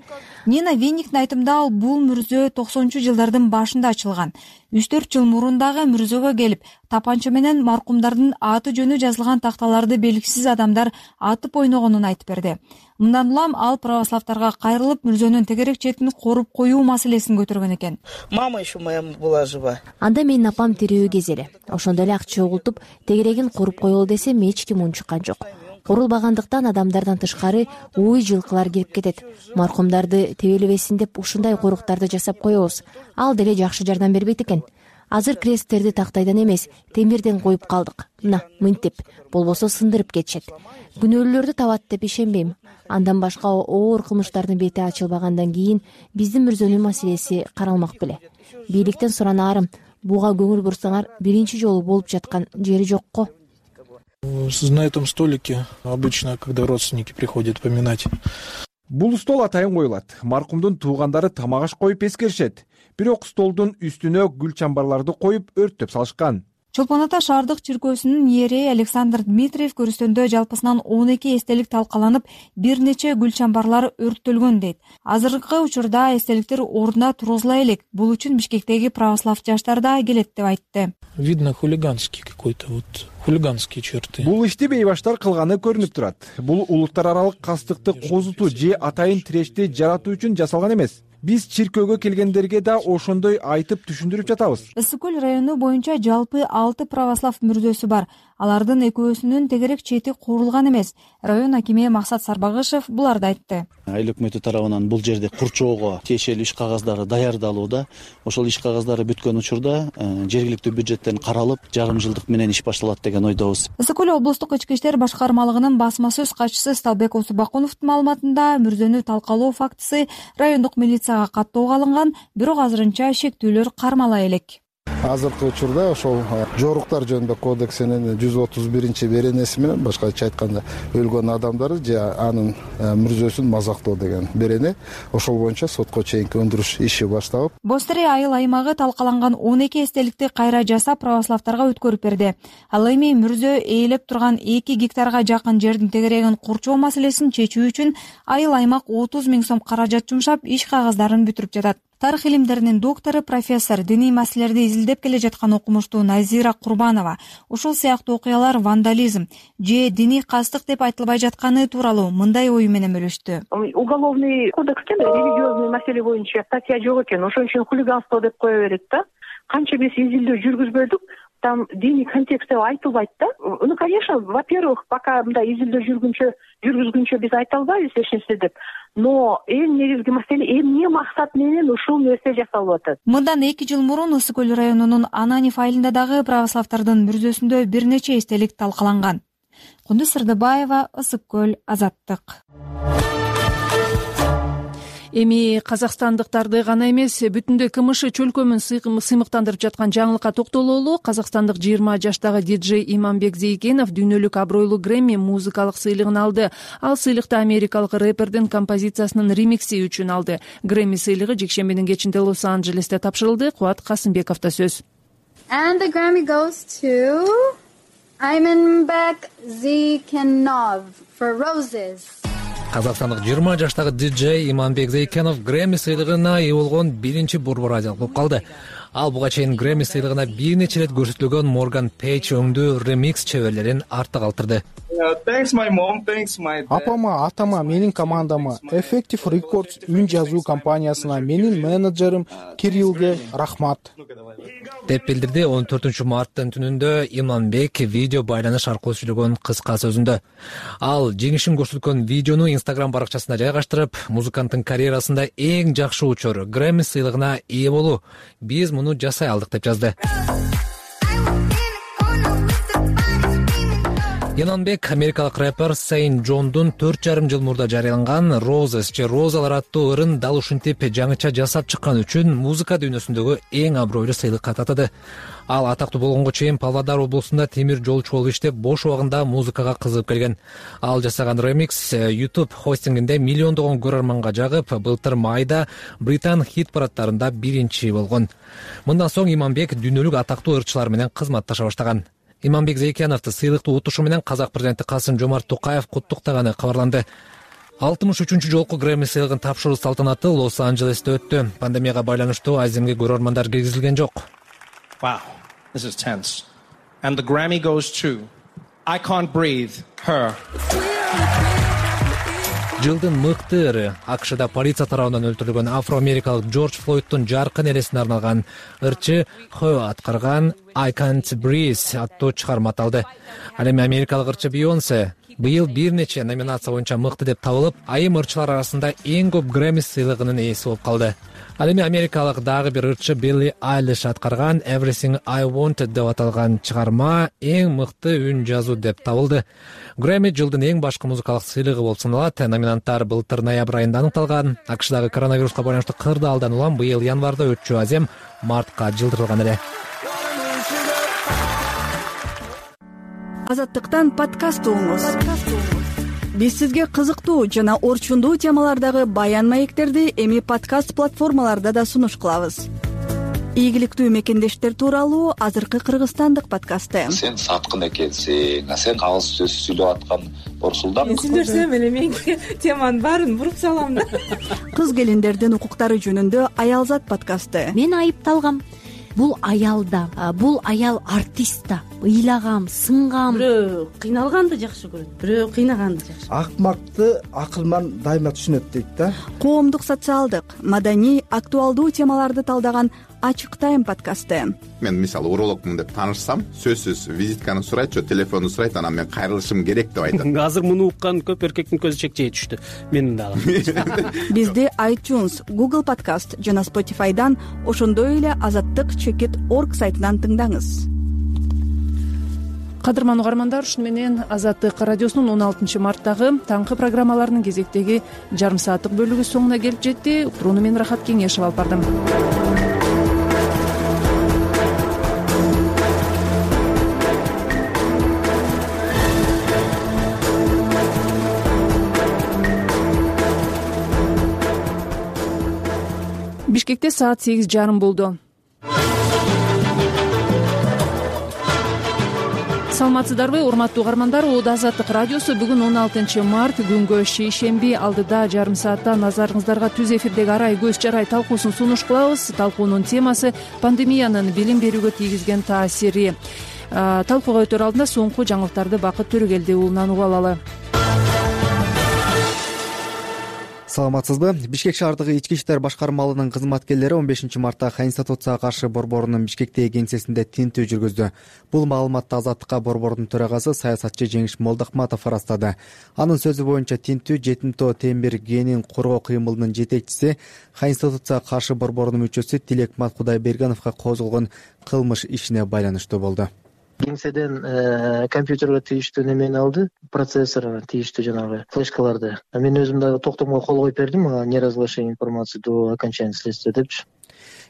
Speaker 19: Нина Винниктин айтымында ал бул мүрзө токсонунчу жылдардын башында ачылган. үч төрт жыл мурун дагы мүрзөгө келип, тапанча менен маркумдардын аты жөнү жазылган такталарды белгисиз адамдар атып ойногонун айтып берди. Мындан улам ал православтарга кайрылып, мүрзөнүн тегерек четин коруп коюу маселесин көтөргөн экен.
Speaker 18: Мама еще моя была жива.
Speaker 11: Анда менин апам тирүү кезели. Ошондо эле акча угултуп, тегерегин коруп коелу десем эч ким унчуккан жок. Корулбагандыктан адамдардан тышкары уй жылкылар кирип кетет. Маркумдарды тебелебесин деп ушундай коруктарды жасап коебуз. Ал деле жакшы жардам бербейт экен. Азыр кресттерди тактайдан эмес, темирден коюп калдык. Мына, мынтип, болбосо сындырып кетишет. Күнөөлүүлөрдү табат деп ишенбейм. Андан башка оор кылмыштардын бети ачылбагандан кийин биздин мүрзөнүн маселеси каралмак беле. Бийликтен суранаарым, буга көңүл бурсаңар, биринчи жолу болуп жаткан жери жокко.
Speaker 4: На этом столике обычно, когда родственники приходят поминать.
Speaker 20: Бул стол атайын коюлат. Маркумдун туугандары тамак аш коюп эскеришет. Бирок столдун үстүнө гүл чамбарларды коюп өрттөп салышкан.
Speaker 19: Чолпон Ата шаардык чиркөөсүнүн иереи Александр Дмитриев көрүстөндө жалпысынан он эки эстелик талкаланып, бир нече гүл чамбарлар өрттөлгөн дейт. Азыркы учурда эстеликтер ордуна тургузула элек. Бул үчүн Бишкектеги православ жаштар да келет деп айтты.
Speaker 4: Видно хулиганский какой-то вот хулиганские черты.
Speaker 20: Бул ишти бейбаштар кылганы көрүнүп турат. Бул улуттар аралык кастыкты козутуу же атайын тирешти жаратуу үчүн жасалган эмес. биз чиркөөгө келгендерге да ошондой айтып түшүндүрүп жатабыз.
Speaker 19: Ысык көл району боюнча жалпы алты православ мүрзөсү бар. Алардын экөөсүнүн тегерек чети курулган эмес. Район акими Максат Сарбагышев буларды айтты.
Speaker 21: Айыл өкмөтү тарабынан бул жерде курчоого тиешелүү иш кагаздары даярдалууда. Ошол иш кагаздары бүткөн учурда жергиликтүү бюджеттен каралып, жарым жылдык менен иш башталат деген ойдобуз.
Speaker 19: Ысык көл облустук ички иштер башкармалыгынын басма сөз катчысы Сталбек Осубакуновдун маалыматында мүрзөнү талкалоо фактысы райондук милицияга каттоого алынган, бирок азырынча шектүүлөр кармала элек.
Speaker 22: Азыркы учурда ошол жоруктар жөнүндө кодексинин жүз отуз биринчи беренеси менен, башкача айтканда, өлгөн адамдарды же анын мүрзөсүн мазактоо деген берене, ошол боюнча сотко чейинки өндүрүш иши башталып.
Speaker 19: Бостере айыл аймагы талкаланган он эки эстеликти кайра жасап православтарга өткөрүп берди. Ал эми мүрзө ээлеп турган эки гектарга жакын жердин тегерегин курчоо маселесин чечүү үчүн айыл аймак отуз миң сом каражат жумшап, иш кагаздарын бүтүрүп жатат. Тарых илимдеринин доктору, профессор, диний маселелерди изилдеп келе жаткан окумуштуу Назира Курбанова ушул сыяктуу окуялар вандализм же диний кастык деп айтылбай жатканы тууралуу мындай ою менен бөлүштү.
Speaker 23: Уголовный кодексте религиозный маселе боюнча статья жок экен, ошон үчүн хулиганство деп кое берет да. Канча биз изилдөө жүргүзбөдүк, там диний контекстте айтылбайт да. Ну, конечно, во-первых, пока мындай изилдөө жүргүнчө жүргүзгүнчө биз айта албайбыз эч нерсе деп. Но эң негизги маселе эмне максат менен ушул нерсе жасалып атат.
Speaker 19: Мындан эки жыл мурун Ысык көл районунун Ананев айылында дагы православтардын мүрзөсүндө бир нече эстелик талкаланган. Кундуз Сырдыбаева, Ысык көл, Азаттык.
Speaker 1: Эми казакстандыктарды гана эмес, бүтүндөй КМШ чөлкөмүн сыймыктандырып жаткан жаңылыкка токтололу. Казакстандык жыйырма жаштагы диджей Иманбек Зейкенов дүйнөлүк абройлуу Грэмми музыкалык сыйлыгын алды. Ал сыйлыкты америкалык рэпердин композициясынын ремикси үчүн алды. Грэмми сыйлыгы жекшембинин кечинде Лос-Анджелесте тапшырылды. Кубат Касымбековдо сөз.
Speaker 24: And the Grammy goes to Imanbek Zeykenov for Roses.
Speaker 12: Казакстандык жыйырма жаштагы диджей Иманбек Зейкенов Грэмми сыйлыгына ээ болгон биринчи борбор азиялык болуп калды. Ал буга чейин Грэмми сыйлыгына бир нече ирет көрсөтүлгөн Морган Пейдж өңдүү ремикс чеберлерин артта калтырды.
Speaker 4: Апама, атама, менин командама, Effective Records үн жазуу компаниясына, менин менеджерим Кириллге рахмат
Speaker 12: деп билдирди он төртүнчү марттын түнүндө Иманбек видео байланыш аркылуу сүйлөгөн кыска сөзүндө. Ал жеңишин көрсөткөн видеону Instagram баракчасына жайгаштырып, музыканттын карьерасында эң жакшы учур Грэмми сыйлыгына ээ болуу. Биз муну жасай алдык деп жазды. Иманбек америкалык рэпер Сейн Джондун төрт жарым жыл мурда жарыяланган Roses же Розалар аттуу ырын дал ушинтип жаңыча жасап чыккан үчүн музыка дүйнөсүндөгү эң абройлуу сыйлыкка татады. Ал атактуу болгонго чейин Павлодар облусунда темир жолчу болуп иштеп, бош убагында музыкага кызыгып келген. Ал жасаган ремикс YouTube хостингинде миллиондогон көрөрманга жагып, былтыр майда Британ хит парадтарында биринчи болгон. Мындан соң Иманбек дүйнөлүк атактуу ырчылар менен кызматташа баштаган. Иманбек Зейкеновду сыйлыктуу утушу менен Казак президенти Касым-Жомарт Токаев куттуктаганы кабарланды. алтымыш үчүнчү жолку Грэмми сыйлыгын тапшыруу салтанаты Лос-Анджелесте өттү. Пандемияга байланыштуу аземге көрөрмандар киргизилген жок.
Speaker 25: Wow, this is tense. And the Grammy goes to I Can't Breathe, Her.
Speaker 12: Жылдын мыкты ыры АКШда полиция тарабынан өлтүрүлгөн афро-америкалык Джордж Флойдтун жаркын эресине арналган ырчы Хö аткарган I Can't Breathe аттуу чыгарма аталды. Ал эми америкалык ырчы Бейонсе быйыл бир нече номинация боюнча мыкты деп табылып, айым ырчылар арасында эң көп Грэмми сыйлыгынын ээси болуп калды. Ал эми америкалык дагы бир ырчы Билли Айлиш аткарган Everything I Wanted деп аталган чыгарма эң мыкты үн жазуу деп табылды. Грэмми жылдын эң башкы музыкалык сыйлыгы болуп саналат. Номинанттар былтыр ноябрь айында аныкталган. АКШдагы коронавируска байланыштуу кырдаалдан улам быйыл январда өтчү азем мартка жылдырылган эле.
Speaker 26: Азаттыктан подкаст угуңуз. Биз сизге кызыктуу жана орчундуу темалардагы баян маектерди эми подкаст платформаларда да сунуш кылабыз. Ийгиликтүү мекендештер тууралуу азыркы кыргызстандык подкасты.
Speaker 27: Сен саткын экенсиң, сен кагыз сөз сүйлөп аткан Орсулдан.
Speaker 28: Мен сүйлөсөм эле мен теманын баарын буруп салам да.
Speaker 26: Кыз келиндердин укуктары жөнүндө Аялзат подкасты.
Speaker 11: Мен айыпталгам. Бул аял да, бул аял артист да. ыйлагам, сынгам.
Speaker 28: Бирөө кыйналганды жакшы көрөт, бирөө кыйнаганды жакшы.
Speaker 2: Акмакты акылман дайыма түшүнөт дейт да.
Speaker 26: Коомдук, социалдык, маданий, актуалдуу темаларды талдаган Ачык Тайм подкасты.
Speaker 5: Мен мисалы урологмун деп таанышсам, сөзсүз визитканы сурайт, же телефонду сурайт, анан мен кайрылышым керек деп айтат.
Speaker 15: Азыр муну уккан көп эркектин көзү чекчей түштү. Менин дагы.
Speaker 26: Бизди iTunes, Google Podcast жана Spotify'дан, ошондой эле азаттык чекит точка орг сайтынан тыңдаңыз.
Speaker 1: Кадырман угармандар, ушуну менен Азаттык радиосунун он алтынчы марттагы таңкы программаларынын кезектеги жарым сааттык бөлүгү соңуна келип жетти. Уктурууну мен Рахат Кеңешев алып бардым. Бишкекте саат сегиз жарым болду. Саламатсыздарбы, урматтуу угармандар? Оодо Азаттык радиосу бүгүн он алтынчы март күнгө шейшемби алдыда жарым саатта назарыңыздарга түз эфирдеги арай көз жарай талкуусун сунуш кылабыз. Талкуунун темасы пандемиянын билим берүүгө тийгизген таасири. Талкууга өтөр алдында соңку жаңылыктарды Бакыт Төрөгелди уулунан угуп алалы.
Speaker 6: Саламатсызбы? Бишкек шаардык ички иштер башкармалынын кызматкерлери он бешинчи мартта Конституцияга каршы борборунун Бишкектеги кеңсесинде тинтүү жүргүздү. Бул маалыматты Азаттыкка борбордун төрагасы саясатчы Жеңиш Молдохматов ырастады. Анын сөзү боюнча тинтүү жетимтоо темир генин коргоо кыймылынын жетекчиси, Конституцияга каршы борборунун мүчөсү Тилекмат Кудайбергеновго козголгон кылмыш ишине байланыштуу болду.
Speaker 7: Кеңседен компьютерге тийиштүү немени алды, процессорго тийиштүү жанагы флешкаларды. Мен өзүм дагы токтомго кол коюп бердим, неразглашение информации до окончания следствия депчи.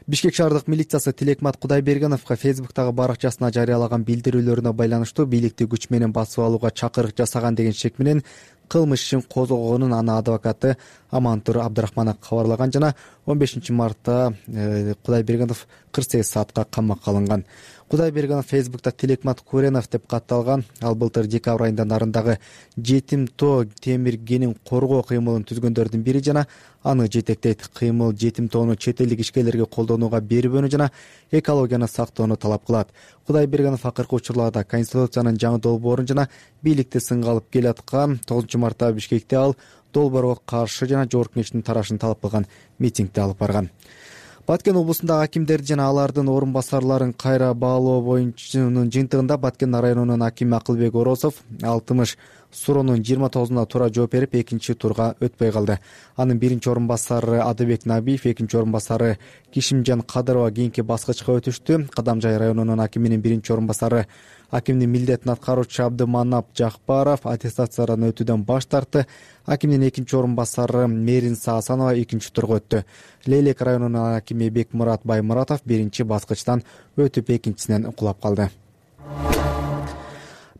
Speaker 6: Бишкек шаардык милициясы Тилекмат Кудайбергеновго Фейсбуктагы баракчасына жарыялаган билдирүүлөрүнө байланыштуу бийликти күч менен басып алууга чакырык жасаган деген шек менен кылмыш ишин козгогонун анын адвокаты Амантур Абдрахманов кабарлаган жана он бешинчи мартта Кудайбергенов кырк сегиз саатка камакка алынган. Кудайбергенов Фейсбукта Тилекмат Куренов деп катталган. Ал былтыр декабрь айында нарындагы жетимтоо темир генин коргоо кыймылын түзгөндөрдүн бири жана аны жетектейт. Кыймыл жетимтоону чет элдик ишкерлерге колдонууга бербөөнү жана экологияны сактоону талап кылат. Кудайбергенов акыркы учурларда Конституциянын жаңы долбоорун жана бийликти сынга алып келаткан. тогузунчу мартта Бишкекте ал долбоорго каршы жана жогорку кеңештин тарашын талап кылган митингди алып барган. Баткен облусундагы акимдерди жана алардын орун басарларын кайра баалоо боюнчанын жыйынтыгында Баткен районунун акими Акылбек Оросов алтымыш суроонун жыйырма тогузуна туура жооп берип, экинчи турга өтпөй калды. Анын биринчи орун басары Адыбек Набиев, экинчи орун басары Кишимжан Кадырова кийинки баскычка өтүштү. Кадамжай районунун акиминин биринчи орун басары акимдин милдетин аткаруучу Абдыманап Жакпаров аттестациядан өтүүдөн баш тартты. Акимдин экинчи орун басары Меринса Асанова экинчи турга өттү. Лейлек районунун акими Бекмурат Баймуратов биринчи баскычтан өтүп, экинчисинен кулап калды.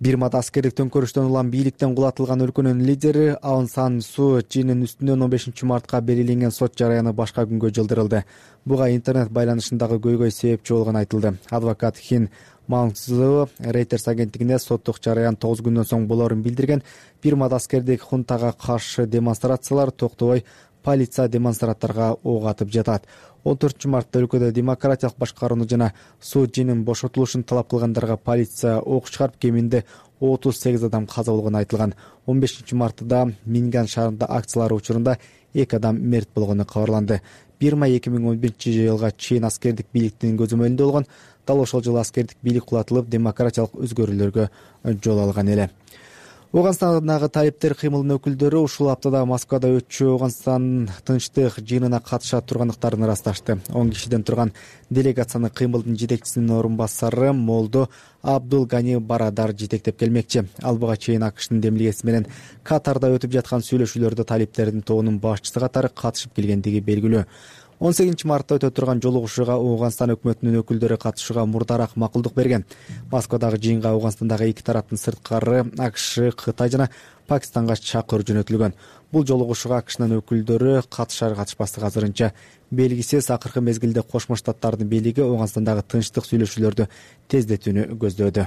Speaker 6: Бирмада аскердик төңкөрүштөн улам бийликтен кулатылган өлкөнүн лидери Аун Сан Су Чинин үстүнөн он бешинчи мартка белгиленген сот жараяны башка күнгө жылдырылды. Буга интернет байланышындагы көйгөй себепчи болгону айтылды. Адвокат Хин Маңзы Reuters агенттигине соттук жараян тогуз күндөн соң болоорун билдирген. Бирмада аскердик хунтага каршы демонстрациялар токтобой, полиция демонстранттарга ок атып жатат. он төртүнчү мартта өлкөдө демократиялык башкарууну жана Су Чинин бошотулушун талап кылгандарга полиция ок чыгарып, кеминде отуз сегиз адам каза болгону айтылган. он бешинчи мартта Минган шаарында акциялар учурунда эки адам мерт болгону кабарланды. Бирма эки миң он биринчи жылга чейин аскердик бийликтин көзөмөлүндө болгон. Дал ошол жылы аскердик бийлик кулатылып, демократиялык өзгөрүүлөргө жол алган эле. Ооганстандагы талиптер кыймылынын өкүлдөрү ушул аптада Москвада өтчү Ооганстан тынчтык жыйынына катышат тургандыктарын ырасташты. он кишиден турган делегацияны кыймылдын жетекчисинин орун басары Молдо Абдул Гани Барадар жетектеп келмекчи. Ал буга чейин АКШтын демилгеси менен Катарда өтүп жаткан сүйлөшүүлөрдө талиптердин тобунун башчысы катары катышып келгендиги белгилүү. он сегизинчи мартта өтө турган жолугушууга Ооганстан өкмөтүнүн өкүлдөрү катышууга мурдараак макулдук берген. Москвадагы жыйынга Ооганстандагы эки тараптын сырткары АКШ, Кытай жана Пакистанга чакыруу жөнөтүлгөн. Бул жолугушууга АКШнын өкүлдөрү катышар катышпастыгы азырынча белгисиз. Акыркы мезгилде Кошмо Штаттардын бийлиги Ооганстандагы тынчтык сүйлөшүүлөрдү тездетүүнү көздөөдө.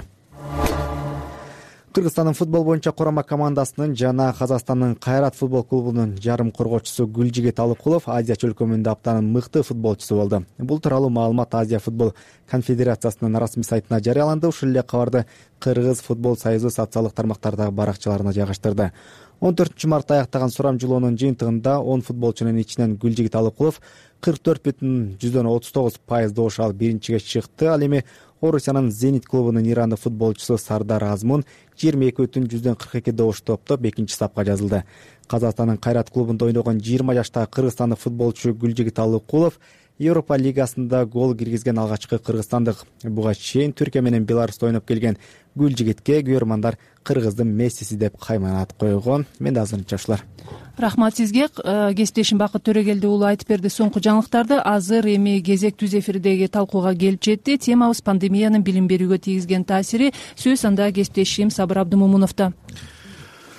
Speaker 6: Кыргызстандын футбол боюнча курама командасынын жана Казакстандын Кайрат футбол клубунун жарым коргоочусу Гүлжигит Алыкулов Азия чөлкөмүндө аптанын мыкты футболчусу болду. Бул тууралуу маалымат Азия футбол конфедерациясынын расмий сайтына жарыяланды. Ушул эле кабарды Кыргыз футбол союзу социалдык тармактардагы баракчаларына жайгаштырды. он төртүнчү мартта аяктаган сурамжылоонун жыйынтыгында он футболчунун ичинен Гүлжигит Алыкулов кырк төрт бүтүн жүздөн отуз тогуз пайыз добуш алып биринчиге чыкты. Ал эми Орусиянын Зенит клубунун ирандык футболчусу Сардар Азмун жыйырма эки бүтүн жүздөн кырк эки добуш топтоп экинчи сапка жазылды. Казакстандын Кайрат клубунда ойногон жыйырма жаштагы кыргызстандык футболчу Гүлжигит Алыкулов Европа лигасында гол киргизген алгачкы кыргызстандык. Буга чейин Түркия менен Беларуста ойноп келген Гүлжигитке көрөрмандар Кыргыздын Мессиси деп кайманат койгон. Менде азырынча ушулар.
Speaker 1: Рахмат сизге. Кесиптешим Бакыт Төрөгелди уулу айтып берди соңку жаңылыктарды. Азыр эми кезек түз эфирдеги талкууга келип жетти. Темабыз пандемиянын билим берүүгө тийгизген таасири. Сөз анда кесиптешим Сабыр Абдымомуновдо.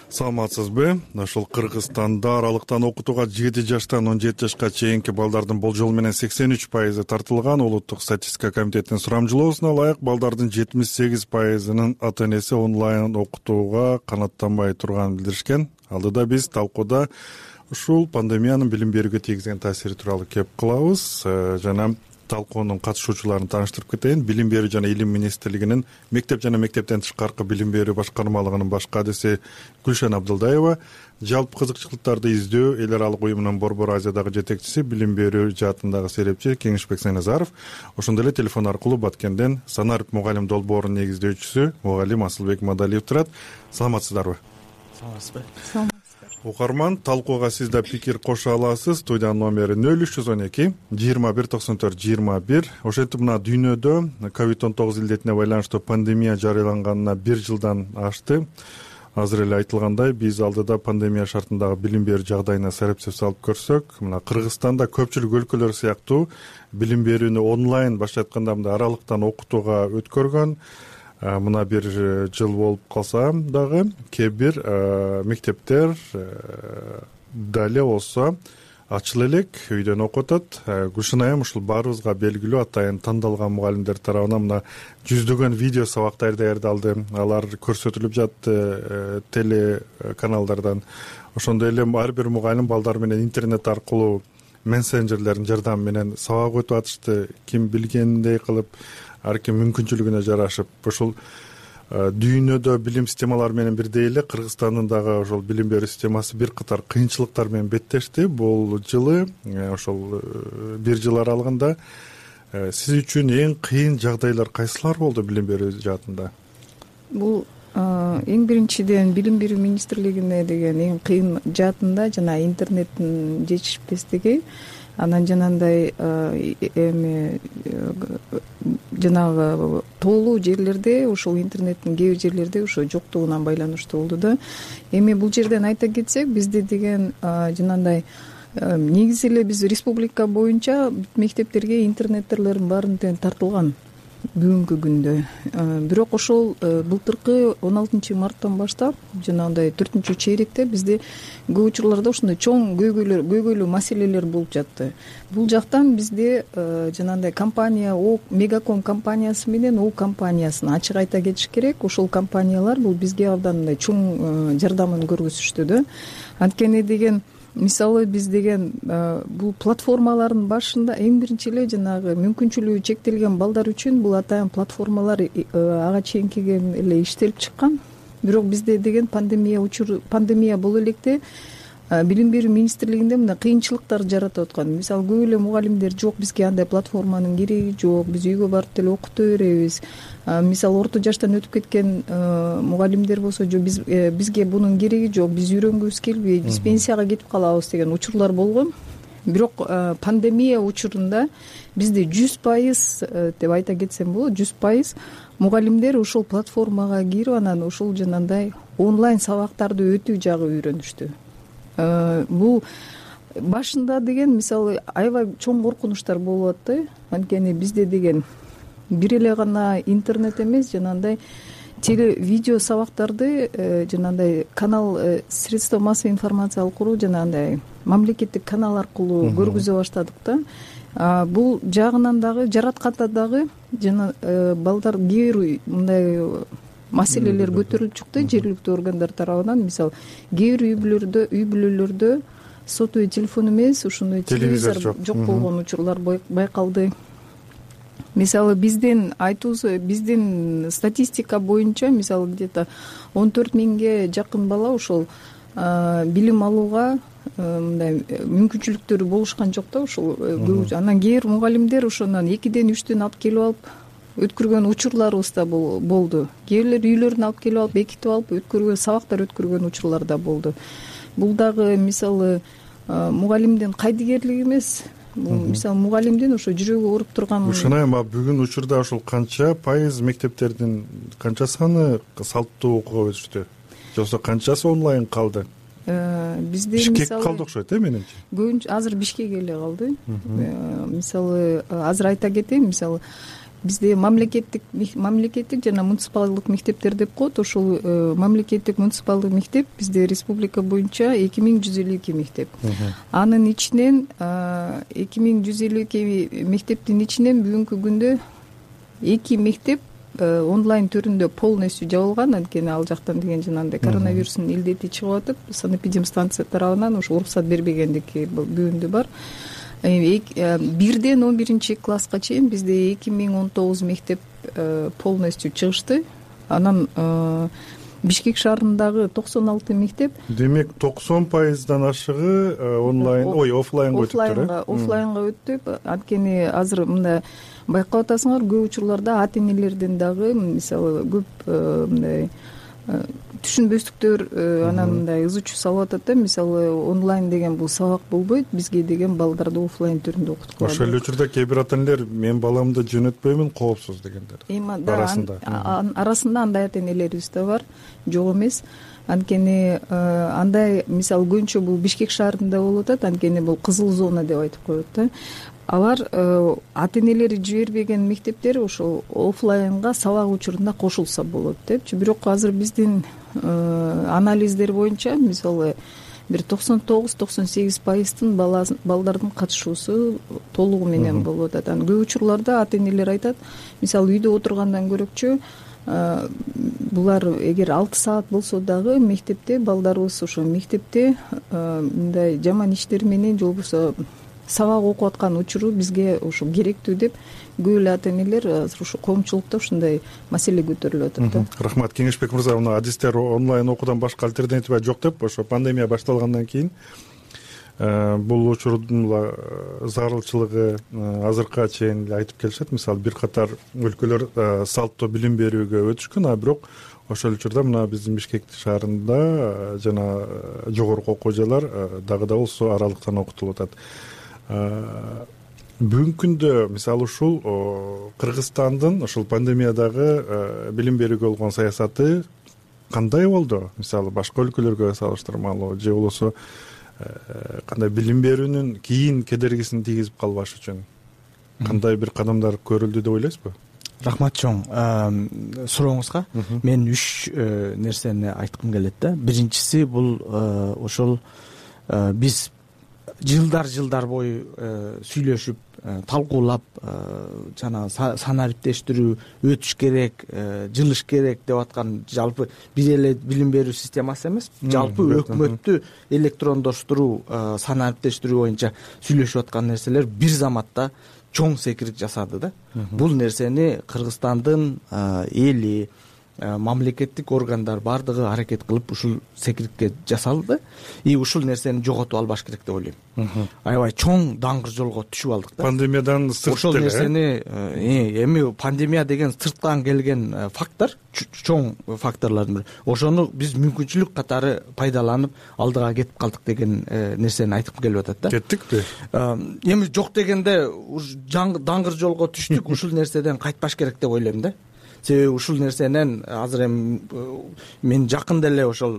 Speaker 3: Саламатсызбы? Ошол Кыргызстанда аралыктан окутууга жети жаштан он жети жашка чейинки балдардын болжол менен сексен үч пайызы тартылган. Улуттук статистика комитетинин сурамжылоосуна ылайык балдардын жетимиш сегиз пайызынын ата энеси онлайн окутууга канааттанбай турганын билдиришкен. Алдыда биз талкууда ушул пандемиянын билим берүүгө тийгизген таасири тууралуу кеп кылабыз. Жана талкуунун катышуучуларын тааныштырып кетейин. Билим берүү жана илим министрлигинин мектеп жана мектептен тышкаркы билим берүү башкармалыгынын баш кадиси Гүлшен Абдылдаева, жалпы кызыкчылыктарды издөө эл аралык уюмунун Борбор Азиядагы жетекчиси, билим берүү жаатындагы серепчи Кеңешбек Сайназаров, ошондой эле телефон аркылуу Баткенден Санарып мугалим долбоорунун негиздөөчүсү мугалим Асылбек Мадалиев турат. Саламатсыздарбы?
Speaker 8: Саламатсызбы?
Speaker 3: Укарман, талкууга сиз да пикир кошо аласыз. Студиянын номери нөл үч жүз он эки жыйырма бир токсон төрт жыйырма бир. Ошентип мына дүйнөдө ковид он тогуз илдетине байланыштуу пандемия жарыяланганына бир жылдан ашты. Азыр эле айтылгандай, биз алдыда пандемия шартындагы билим берүү жагдайына серепсиз салып көрсөк, мына Кыргызстанда көпчүлүк өлкөлөр сыяктуу билим берүүнү онлайн башка айтканда мындай аралыктан окутууга өткөргөн. Мына бир жыл болуп калса дагы кээ бир мектептер дале болсо ачыла элек, үйдөн окуп атат. Гүлшен айым, ушул баарыбызга белгилүү атайын тандалган мугалимдер тарабынан мына жүздөгөн видео сабактар даярдалды. Алар көрсөтүлүп жатты телеканалдардан. Ошондой эле ар бир мугалим балдар менен интернет аркылуу мессенджерлердин жардамы менен сабак өтүп атышты. Ким билгендей кылып, ар ким мүмкүнчүлүгүнө жарашып. Ошол дүйнөдө билим системалары менен бирдей эле Кыргызстандын дагы ошол билим берүү системасы бир катар кыйынчылыктар менен беттешти. Бул жылы ошол бир жыл аралыгында сиз үчүн эң кыйын жагдайлар кайсылар болду билим берүү жаатында?
Speaker 8: Бул эң биринчиден билим берүү министрлигине деген эң кыйын жаатында жана интернеттин жетишпестиги. Анан жанагындай эми жанагы тоолуу жерлерде ушул интернеттин кээ бир жерлерде ошо жоктугунан байланыштуу болду да. Эми бул жерден айта кетсек, бизде деген жанагындай негизи эле биз республика боюнча мектептерге интернеттерлердин баарын тең тартылган бүгүнкү күндө. Бирок ошол былтыркы он алтынчы марттан баштап жанагындай төртүнчү чейректе бизде көп учурларда ушундай чоң көйгөйлөр көйгөйлүү маселелер болуп жатты. Бул жактан бизде жанагындай компания О Мегаком компаниясы менен О компаниясын ачык айта кетиш керек. Ошол компаниялар бул бизге абдан мындай чоң жардамын көргөзүштү да. Анткени деген мисалы биз деген бул платформалардын башында эң биринчи эле жанагы мүмкүнчүлүгү чектелген балдар үчүн бул атайын платформалар ага чейинкиге эле иштелип чыккан. Бирок бизде деген пандемия учур пандемия боло электе билим берүү министрлигинде мындай кыйынчылыктар жаратып аткан. Мисалы көп эле мугалимдер жок, бизге андай платформанын кереги жок, биз үйгө барып деле окута беребиз. Мисалы орто жаштан өтүп кеткен мугалимдер болсо жок, биз бизге бунун кереги жок, биз үйрөнгүбүз келбейт, биз пенсияга кетип калабыз деген учурлар болгон. Бирок пандемия учурунда бизде жүз пайыз деп айта кетсем болот, жүз пайыз мугалимдер ушул платформага кирип анан ушул жанагындай онлайн сабактарды өтүү жагы үйрөнүштү. Бул башында деген мисалы аябай чоң коркунучтар болуп атты. Анткени бизде деген бир эле гана интернет эмес, жанагындай теле видео сабактарды жанагындай канал средства массовой информация аркылуу жанагындай мамлекеттик канал аркылуу көргүзө баштадык да. Бул жагынан дагы жаратканда дагы жана балдар кээ бир мындай маселелер көтөрүлүп чыкты жергиликтүү органдар тарабынан. Мисалы кээ бир үй бүлөлөрдө үй бүлөлөрдө сотовый телефон эмес ушундай телевизор жок болгон учурлар байкалды. Мисалы биздин айтуубуз биздин статистика боюнча мисалы где-то он төрт миңге жакын бала ошол билим алууга мындай мүмкүнчүлүктөрү болушкан жок да ушул. Анан кээ бир мугалимдер ошондон экиден үчтөн алып келип алып өткөргөн учурларыбыз да болду. Кээ бирлер үйлөрүнө алып келип алып бекитип алып өткөргөн сабактар өткөргөн учурлар да болду. Бул дагы мисалы мугалимдин кайдыгерлиги эмес. Бул мисалы мугалимдин ошо жүрөгү ооруп турган.
Speaker 3: Ушунайм, бүгүн учурда ошол канча пайыз мектептердин канча саны салттуу окууга өтүштү? Жоксо канчасы онлайн калды? Бизде мисалы Бишкек калды окшойт э менимче.
Speaker 8: Көбүнчө азыр Бишкек эле калды. Мисалы азыр айта кетейин, мисалы бизде мамлекеттик мамлекеттик жана муниципалдык мектептер деп коет. Ошол мамлекеттик муниципалдык мектеп бизде республика боюнча эки миң жүз элүү эки мектеп. Анын ичинен эки миң жүз элүү эки мектептин ичинен бүгүнкү күндө эки мектеп онлайн түрүндө полностью жабылган. Анткени ал жактан деген жанагындай коронавирустун илдети чыгып атып, санэпидемстанция тарабынан ошо уруксат бербегендики бүгүндө бар. Бирден он биринчи класска чейин бизде эки миң он тогуз мектеп полностью чыгышты. Анан Бишкек шаарындагы токсон алты мектеп.
Speaker 3: Демек токсон пайыздан ашыгы онлайн, ой, офлайнга өтүптүр.
Speaker 8: Офлайнга өттү. Анткени азыр мындай байкап атасыңар, көп учурларда ата энелерден дагы мисалы көп мындай түшүнбөстүктөр анан мындай ызы чуу салып атат да. Мисалы онлайн деген бул сабак болбойт, бизге деген балдарды офлайн түрүндө окуткула.
Speaker 3: Ошол эле учурда кээ бир ата энелер мен баламды жөнөтпөймүн, коопсуз дегендер.
Speaker 8: Арасында арасында андай ата энелерибиз да бар, жок эмес. Анткени андай мисалы көбүнчө бул Бишкек шаарында болуп атат. Анткени бул кызыл зона деп айтып коет да. Алар ата энелери жибербеген мектептер ошол офлайнга сабак учурунда кошулса болот депчи. Бирок азыр биздин анализдер боюнча мисалы бир токсон тогуз токсон сегиз пайыздын балдардын катышуусу толугу менен болуп атат. Анан көп учурларда ата энелер айтат, мисалы үйдө отургандан көрөкчү булар эгер алты саат болсо дагы мектепте балдарыбыз ошо мектепте мындай жаман иштер менен же болбосо сабак окуп аткан учуру бизге ошо керектүү деп көп эле ата энелер азыр ушу коомчулукта ушундай маселе көтөрүлүп атат да.
Speaker 3: Рахмат, Кеңешбек мырза. Мына адистер онлайн окуудан башка альтернатива жок деп ошо пандемия башталгандан кийин бул учурдун зарылчылыгы азыркыга чейин айтып келишет. Мисалы бир катар өлкөлөр салттуу билим берүүгө өтүшкөн, а бирок ошол учурда мына биздин Бишкек шаарында жана жогорку окуу жайлар дагы да болсо аралыктан окутулуп атат. Бүгүнкү күндө мисалы ушул Кыргызстандын ошол пандемиядагы билим берүүгө болгон саясаты кандай болду? Мисалы башка өлкөлөргө салыштырмалуу же болбосо кандай билим берүүнүн кийин кедергисин тийгизип калбаш үчүн кандай бир кадамдар көрүлдү деп ойлойсузбу?
Speaker 9: Рахмат чоң сурооңузга. Мен үч нерсени айткым келет да. Биринчиси бул ошол биз жылдар жылдар бою сүйлөшүп, талкуулап жана санариптештирүү өтүш керек, жылыш керек деп аткан жалпы бир эле билим берүү системасы эмес, жалпы өкмөттү электрондоштуруу, санариптештирүү боюнча сүйлөшүп аткан нерселер бир заматта чоң секирик жасады да. Бул нерсени Кыргызстандын эли, мамлекеттик органдар бардыгы аракет кылып ушул секирикке жасалды. И ушул нерсени жоготуп албаш керек деп ойлойм. Аябай чоң даңгыр жолго түшүп алдык да.
Speaker 3: Пандемиядан сырт
Speaker 9: ошол нерсени эми пандемия деген сырттан келген фактор, чоң факторлордун бири. Ошону биз мүмкүнчүлүк катары пайдаланып алдыга кетип калдык деген нерсени айткым келип атат да.
Speaker 3: Кеттикпи?
Speaker 9: Эми жок дегенде даңгыр жолго түштүк, ушул нерседен кайтпаш керек деп ойлойм да. Себеби ушул нерсенен азыр эми мен жакында эле ошол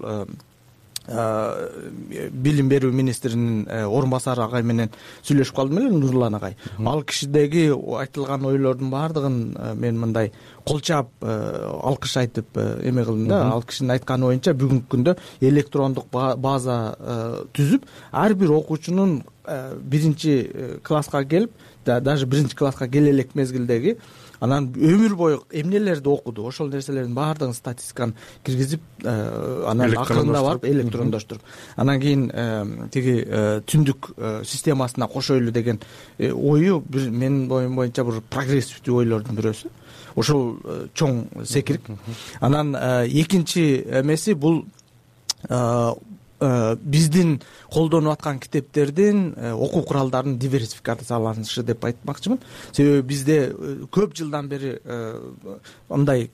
Speaker 9: билим берүү министринин орун басары агай менен сүйлөшүп калдым эле, Нурлан агай. Ал кишидеги айтылган ойлордун баардыгын мен мындай кол чаап алкыш айтып эме кылдым да. Ал кишинин айтканы боюнча бүгүнкү күндө электрондук база түзүп, ар бир окуучунун биринчи класска келип даже биринчи класска келе элек мезгилдеги анан өмүр бою эмнелерди окуду, ошол нерселердин баардыгын статистиканы киргизип анан акырында барып электрондоштуруп анан кийин тиги түндүк системасына кошойлу деген ою бир менин оюм боюнча бир прогрессивдүү ойлордун бирөөсү. Ошол чоң секирик. Анан экинчи эмеси бул биздин колдонуп аткан китептердин окуу куралдарынын диверсификацияланышы деп айтмакчымын. Себеби бизде көп жылдан бери мындай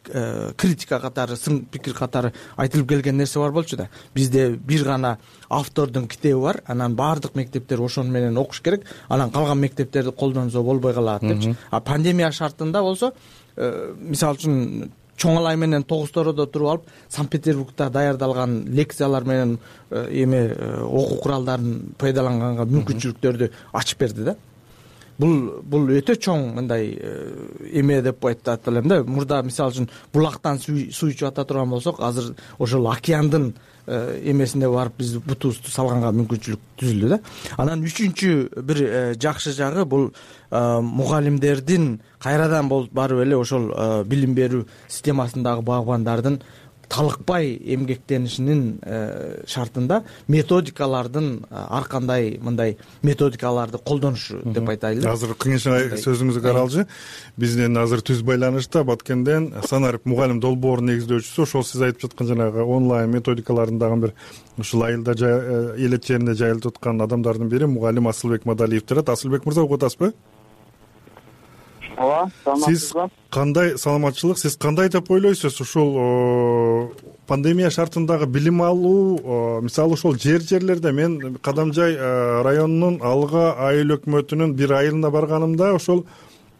Speaker 9: критика катары, сын пикир катары айтылып келген нерсе бар болчу да. Бизде бир гана автордун китеби бар, анан баардык мектептер ошону менен окуш керек, анан калган мектептерди колдонсо болбой калат депчи. А пандемия шартында болсо, мисалы үчүн чоң алай менен тогуз-тородо туруп алып, Санкт-Петербургда даярдалган лекциялар менен эме окуу куралдарын пайдаланганга мүмкүнчүлүктөрдү ачып берди да. Бул бул өтө чоң мындай эме деп айтат элем да. Мурда мисалы үчүн булактан суу ичип ата турган болсок, азыр ошол океандын эмесинде барып биз бутубузду салганга мүмкүнчүлүк түзүлдү да. Анан үчүнчү бир жакшы жагы бул мугалимдердин кайрадан барып эле ошол билим берүү системасындагы багбандардын талыкпай эмгектенишинин шартында методикалардын ар кандай мындай методикаларды колдонушу деп айтайлы.
Speaker 3: Азыр кеңешиң сөзүңүздү каралчы. Бизден азыр түз байланышта Баткенден Санарип мугалим долбоорун негиздөөчүсү, ошол сиз айтып жаткан жанагы онлайн методикалардын дагы бир ушул айылда элет жеринде жайылтып аткан адамдардын бири мугалим Асылбек Мадалиев турат. Асылбек мырза, угуп атасызбы?
Speaker 10: Ооба, саламатсызбы?
Speaker 3: Кандай саламатчылык, сиз кандай деп ойлойсуз ушул пандемия шартындагы билим алуу, мисалы ошол жер-жерлерде мен Кадамжай районунун Алга айыл өкмөтүнүн бир айылына барганымда ошол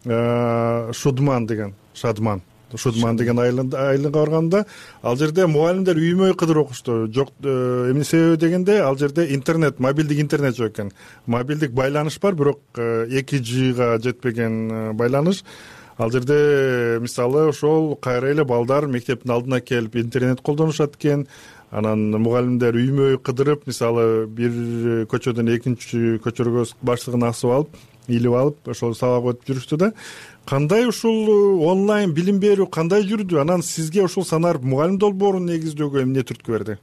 Speaker 3: Шудман деген, Шадман Шудман деген айылга барганда, ал жерде мугалимдер үймөй кыдыр окушту. Жок, эмне себеби дегенде, ал жерде интернет, мобилдик интернет жок экен. Мобилдик байланыш бар, бирок эки джига жетпеген байланыш. Ал жерде мисалы ошол кайра эле балдар мектептин алдына келип интернет колдонушат экен. Анан мугалимдер үймөй кыдырып, мисалы бир көчөдөн экинчи көчөргө баштыгын асып алып, илип алып, ошол сабак өтүп жүрүштү да. Кандай ушул онлайн билим берүү кандай жүрдү? Анан сизге ушул Санарип мугалим долбоорун негиздөөгө эмне түрткү берди?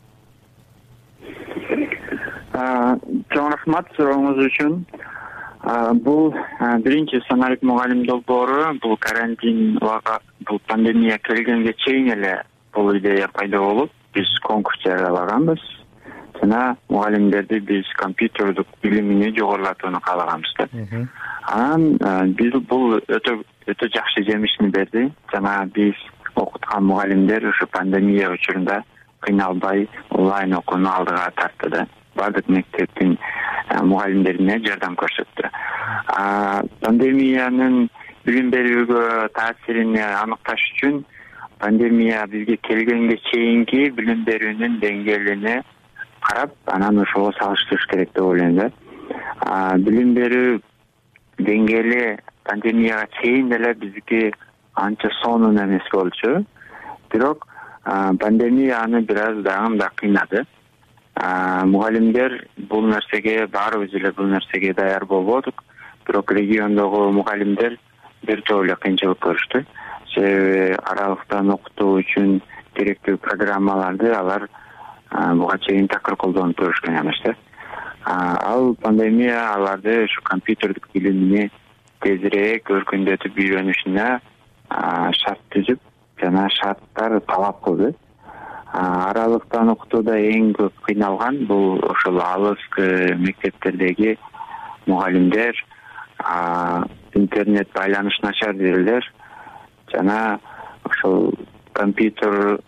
Speaker 10: Чоң рахмат сурооңуз үчүн. Бул биринчи Санарип мугалим долбоору бул карантин убага, бул пандемия келгенге чейин эле бул идея пайда болуп, биз конкурс жарыялаганбыз. Жана мугалимдерди биз компьютердук билимини жогорулатууну каалаганбыз да. Анан биз бул өтө өтө жакшы жемишин берди. Жана биз окуткан мугалимдер ушу пандемия учурунда кыйналбай онлайн окууну алдыга тартты да. Бардык мектептин мугалимдерине жардам көрсөттү. Пандемиянын билим берүүгө таасирин аныкташ үчүн пандемия бизге келгенге чейинки билим берүүнүн деңгээлине карап, анан ошого салыштырыш керек деп ойлойм да. Билим берүү деңгээли пандемияга чейин эле бизге анча сонун эмес болчу. Бирок пандемия аны бир аз дагы да кыйнады. Мугалимдер бул нерсеге, баарыбыз эле бул нерсеге даяр болбодук. Бирок региондогу мугалимдер бир топ эле кыйынчылык көрүштү. Себеби аралыктан окутуу үчүн керектүү программаларды алар буга чейин такыр колдонуп көрүшкөн эмес да. Ал пандемия аларды ушу компьютердик билимини тезирээк өркүндөтүп үйрөнүшүнө шарт түзүп, жана шарттар талап кылды. Аралыктан окутууда эң көп кыйналган бул ошол алыскы мектептердеги мугалимдер, интернет байланыш начар бирлер жана ошол компьютер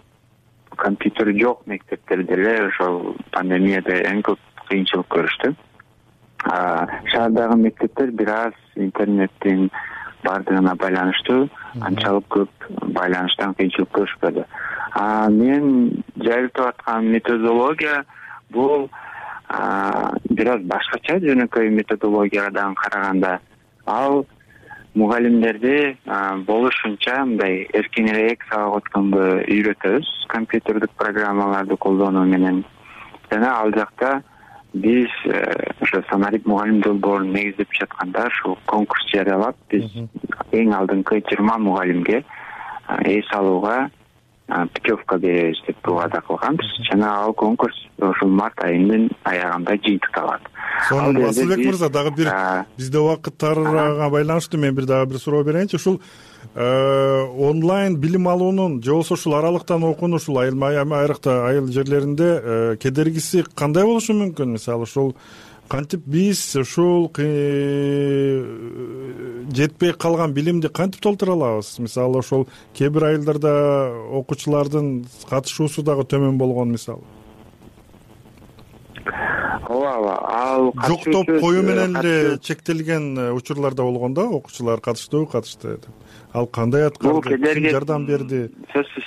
Speaker 10: компьютер жок мектептерде эле ошол пандемияда эң көп кыйынчылык көрүштү. Шаардагы мектептер бир аз интернеттин бардыгына байланыштуу, анчалык көп байланыштан кыйынчылык көрүшпөдү. Мен жайылтып аткан методология бул бир аз башкача, жөнөкөй методологиядан караганда. Ал мугалимдерди болушунча мындай эркинирээк сабак өткөнгө үйрөтөбүз компьютердик программаларды колдонуу менен. Жана ал жакта биз ошо Самарит мугалим долбоорун негиздеп жатканда ушул конкурс жарыялап биз эң алдыңкы жыйырма мугалимге эс алууга путевка беребиз деп убада кылганбыз жана ал конкурс ушул март айынын аягында жыйынтыкталат.
Speaker 3: Сонун Асылбек мырза, дагы бир бизде убакыт тарыга байланыштуу мен бир дагы бир суроо берейинчи. Ушул онлайн билим алуунун же болбосо ушул аралыктан окуунун ушул айрыкта айыл жерлеринде кедергиси кандай болушу мүмкүн? Мисалы ушул кантип биз ушул жетпей калган билимди кантип толтура алабыз? Мисалы ошол кээ бир айылдарда окуучулардын катышуусу дагы төмөн болгон мисалы.
Speaker 10: ооба ооба ал
Speaker 3: жоктоп коюу менен эле чектелген учурлар да болгон да, окуучулар катыштыбы катышты деп. Ал кандай аткарды, ким жардам берди?
Speaker 10: Сөзсүз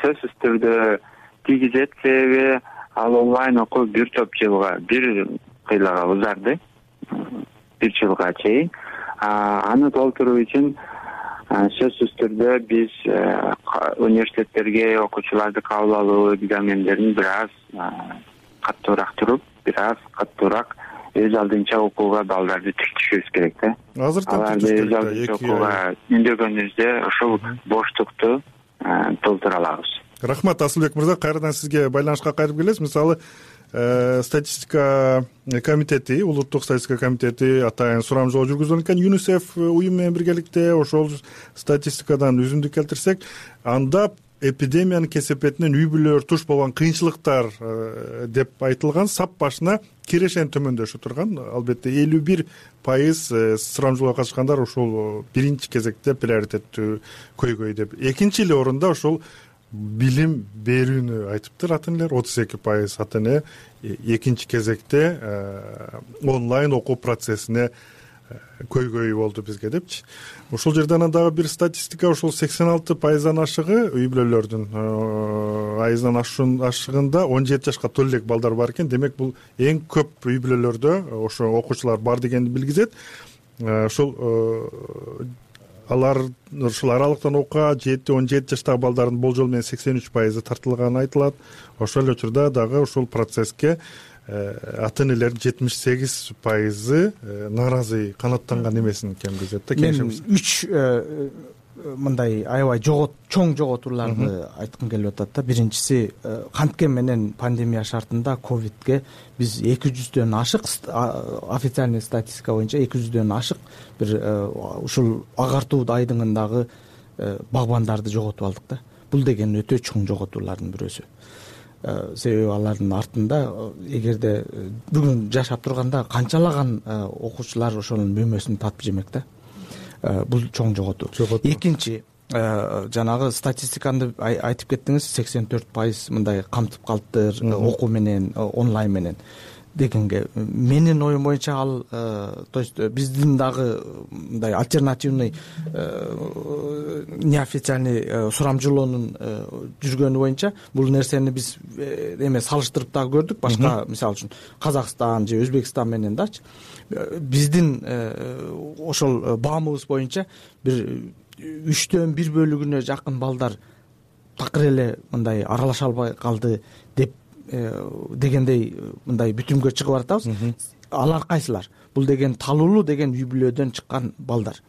Speaker 10: сөзсүз түрдө тийгизет, себеби ал онлайн окуу бир топ жылга, бир кыйлага узарды, бир жылга чейин. Аны толтуруу үчүн сөзсүз түрдө биз университеттерге окуучуларды кабыл алуу экзамендерин бир аз каттуураак туруп, бир аз каттуураак өз алдынча окууга балдарды тиркетишибиз керек да.
Speaker 3: Азыртан
Speaker 10: аларды өз алдынча окууга үндөгөнүбүздө ошол боштукту толтура алабыз.
Speaker 3: Рахмат Асылбек мырза, кайрадан сизге байланышка кайтып келебиз. Мисалы статистика комитети, улуттук статистика комитети атайын сурамжылоо жүргүзгөн экен ЮНИСЕФ уюм менен биргеликте. Ошол статистикадан үзүндүк келтирсек, анда эпидемиянын кесепетинен үй бүлөлөр туш болгон кыйынчылыктар деп айтылган сап башына кирешен төмөндөшү турган. Албетте элүү бир пайыз сурамжылоого катышкандар ушул биринчи кезекте приоритеттүү көйгөй деп. Экинчи эле орунда ошол билим берүүнү айтыптыр ата энелер. отуз эки пайыз ата эне экинчи кезекте онлайн окуу процессине көйгөй болду бизге депчи. Ошол жерден дагы бир статистика, ошол сексен алты пайыздан ашыгы үй бүлөлөрдүн айыздан ашыгында он жети жашка толо элек балдар бар экен. Демек бул эң көп үй бүлөлөрдө ошо окуучулар бар дегенди билгизет. Ошол алар ушул аралыктан окууга жети он жети жаштагы балдардын болжол менен сексен үч пайызы тартылганы айтылат. Ошол эле учурда дагы ушул процесске ата энелердин жетимиш сегиз пайызы нааразы канааттанган эмесин кемгизет да.
Speaker 9: Мен үч мындай аябай жогот чоң жоготууларды айткым келип атат да. Биринчиси, канткен менен пандемия шартында ковидке биз эки жүздөн ашык, официальный статистика боюнча эки жүздөн ашык бир ушул агартуу айдыңындагы багбандарды жоготуп алдык да. Бул деген өтө чоң жоготуулардын бирөөсү. Себеби алардын артында эгерде бүгүн жашап турганда канчалаган окуучулар ошонун мөмөсүн татып жемек да. Бул чоң жоготуу. Экинчи, жанагы статистиканы айтып кеттиңиз, сексен төрт пайыз мындай камтып калыптыр окуу менен, онлайн менен дегенге. Менин оюм боюнча ал, то есть биздин дагы мындай альтернативный неофициальный сурамжылоонун жүргөнү боюнча бул нерсени биз эме салыштырып дагы көрдүк. Башка, мисалы үчүн Казакстан же Өзбекстан менен дачы. Биздин ошол баамыбыз боюнча бир үчтөн бир бөлүгүнө жакын балдар такыр эле мындай аралаша албай калды деп дегендей мындай бүтүмгө чыгып баратабыз. Алар кайсылар? Бул деген талуулуу деген үй бүлөдөн чыккан балдар.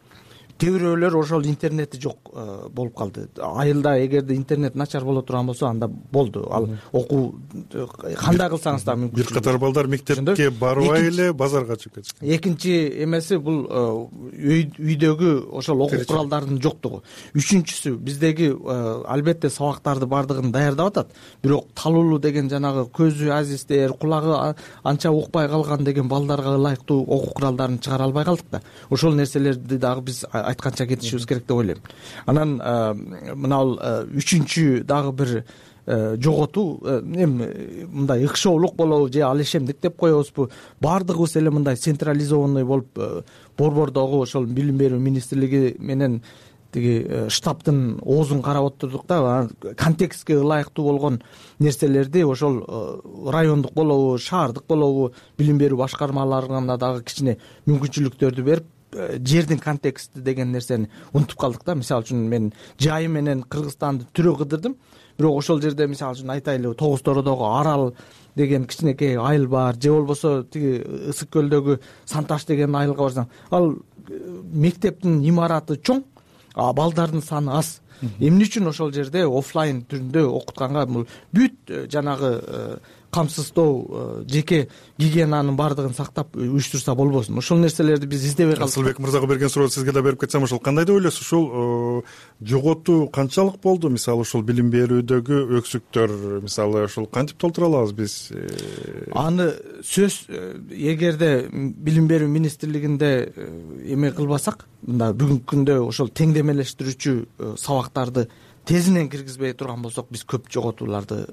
Speaker 9: Кээ бирөөлөр ошол интернети жок болуп калды. Айылда эгерде интернет начар боло турган болсо, анда болду. Ал окуу кандай кылсаңыз да мүмкүн.
Speaker 3: Бир катар балдар мектепке барбай эле базарга чыгып кетишкен.
Speaker 9: Экинчи эмеси бул үйдөгү ошол окуу куралдардын жоктугу. Үчүнчүсү, биздеги албетте сабактарды бардыгын даярдап атат, бирок талуулуу деген жанагы көзү азиздер, кулагы анча укпай калган деген балдарга ылайыктуу окуу куралдарын чыгара албай калдык да. Ошол нерселерди дагы биз айтканча кетишибиз керек деп ойлойм. Анан мына үчүнчү дагы бир жоготуу эми мындай ыкшоолук болобу же ал ишемдик деп коебузбу, баардыгыбыз эле мындай централизованный болуп борбордогу ошол билим берүү министрлиги менен тиги штабтын оозун карап отурдук да. Контекстке ылайыктуу болгон нерселерди ошол райондук болобу, шаардык болобу билим берүү башкармаларына дагы кичине мүмкүнчүлүктөрдү берип, жердин контексти деген нерсени унутуп калдык да. Мисалы үчүн мен жайы менен Кыргызстанды түрө кыдырдым, бирок ошол жерде мисалы үчүн айтайлы, Тогуз Тородогу Арал деген кичинекей айыл бар, же болбосо тиги Ысык көлдөгү Санташ деген айылга барсаң, ал мектептин имараты чоң, а балдардын саны аз. Эмне үчүн ошол жерде офлайн түрүндө окутканга бул бүт жанагы камсыздоо, жеке гигиенанын баардыгын сактап уюштурса болбосун? Ошол нерселерди биз издебей калдык.
Speaker 3: Асылбек мырзага берген сурооду сизге да берип кетсем, ошол кандай деп ойлойсуз? Ушул жоготуу канчалык болду? Мисалы ушул билим берүүдөгү өксүктөр, мисалы ушул кантип толтура алабыз биз?
Speaker 9: Аны сөз, эгерде билим берүү министрлигинде эме кылбасак, мында бүгүнкү күндө ошол теңдемелештирүүчү сабактарды тезинен киргизбей турган болсок, биз көп жоготууларды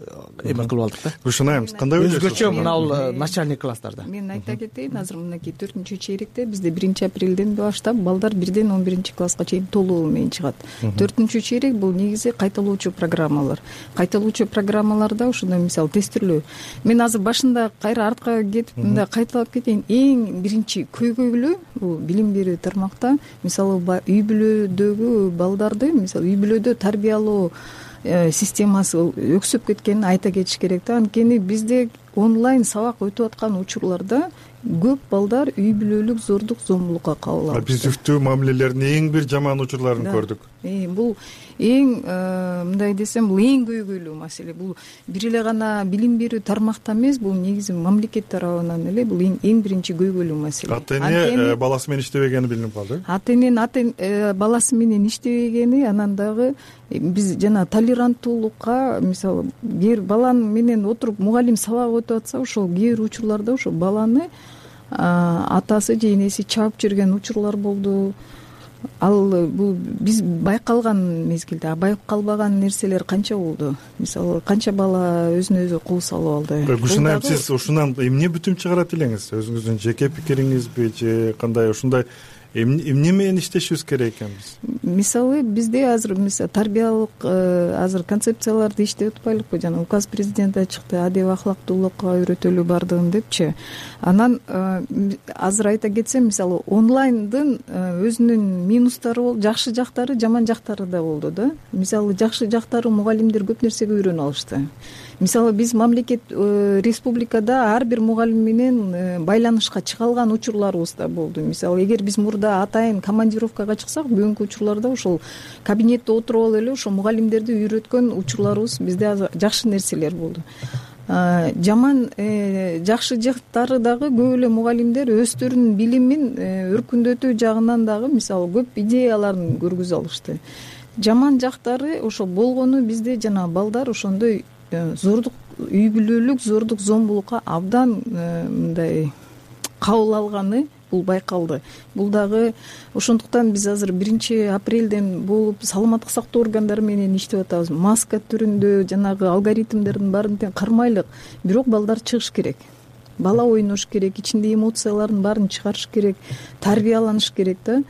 Speaker 9: эме кылып алдык да.
Speaker 3: Ушунайбыз. Кандай ойлойсуз?
Speaker 9: Өзгөчө мына бул начальник класстарда.
Speaker 8: Мен айта кетейин, азыр мынакей төртүнчү чейректе бизде биринчи апрелден баштап балдар бирден он биринчи класска чейин толугу менен чыгат. Төртүнчү чейрек бул негизи кайталоочу программалар. Кайталоочу программаларда ошондой мисалы тестирлөө. Мен азыр башында кайра артка кетип мындай кайталап кетейин. Эң биринчи көйгөйлүү бул билим берүү тармакта мисалы үй бүлөдөгү балдарды, мисалы үй бүлөдө тарбия системасы өксүп кеткенин айта кетиш керек да. Анткени бизде онлайн сабак өтүп аткан учурларда көп балдар үй бүлөлүк зордук зомбулукка кабыл алышты.
Speaker 3: Биз үфтүү мамилелердин эң бир жаман учурларын көрдүк.
Speaker 8: Бул эң мындай десем, бул эң көйгөйлүү маселе. Бул бир эле гана билим берүү тармакта эмес, бул негизи мамлекет тарабынан эле бул эң биринчи көйгөйлүү маселе.
Speaker 3: Ата эне баласы менен иштебегени билинип калды.
Speaker 8: Ата эненин баласы менен иштебегени, анан дагы биз жана толеранттуулукка, мисалы, кээ бала менен отуруп мугалим сабак өтүп атса, ошол кээ бир учурларда ошо баланы атасы же энеси чаап жүргөн учурлар болду. Ал бул биз байкалган мезгилде, а байкалбаган нерселер канча болду? Мисалы, канча бала өзүнө өзү кол салып алды?
Speaker 3: Гүлшынайым, сиз ушунан эмне бүтүм чыгарат элеңиз? Өзүңүздүн жеке пикириңизби же кандай ушундай эмне менен иштешибиз керек экенбиз?
Speaker 8: Мисалы, бизде азыр мисалы тарбиялык азыр концепцияларды иштеп атпайлыкпы? Жана указ президенти чыкты, адеп ахлактуулукка үйрөтөлү бардыгын депчи. Анан азыр айта кетсем, мисалы, онлайндын өзүнүн минустары болду, жакшы жактары, жаман жактары да болду да. Мисалы, жакшы жактары мугалимдер көп нерсеге үйрөнүп алышты. Мисалы, биз мамлекет республикада ар бир мугалим менен байланышка чыга алган учурларыбыз да болду. Мисалы, эгер биз мурда атайын командировкага чыксак, бүгүнкү учурларда ошол кабинетте отуруп алып эле ошол мугалимдерди үйрөткөн учурларыбыз бизде жакшы нерселер болду. Жаман жакшы жактары дагы көп эле мугалимдер өздөрүнүн билимин өркүндөтүү жагынан дагы мисалы көп идеяларын көргөзө алышты. Жаман жактары ошол болгону бизде жана балдар ошондой зордук, үй бүлөлүк зордук зомбулукка абдан мындай кабыл алганы бул байкалды. Бул дагы ошондуктан биз азыр биринчи апрелден болуп саламаттык сактоо органдары менен иштеп атабыз. Маска түрүндө жанагы алгоритмдердин баарын тең кармайлык, бирок балдар чыгыш керек. Бала ойнош керек, ичинде эмоцияларын баарын чыгарыш керек, тарбияланыш керек да.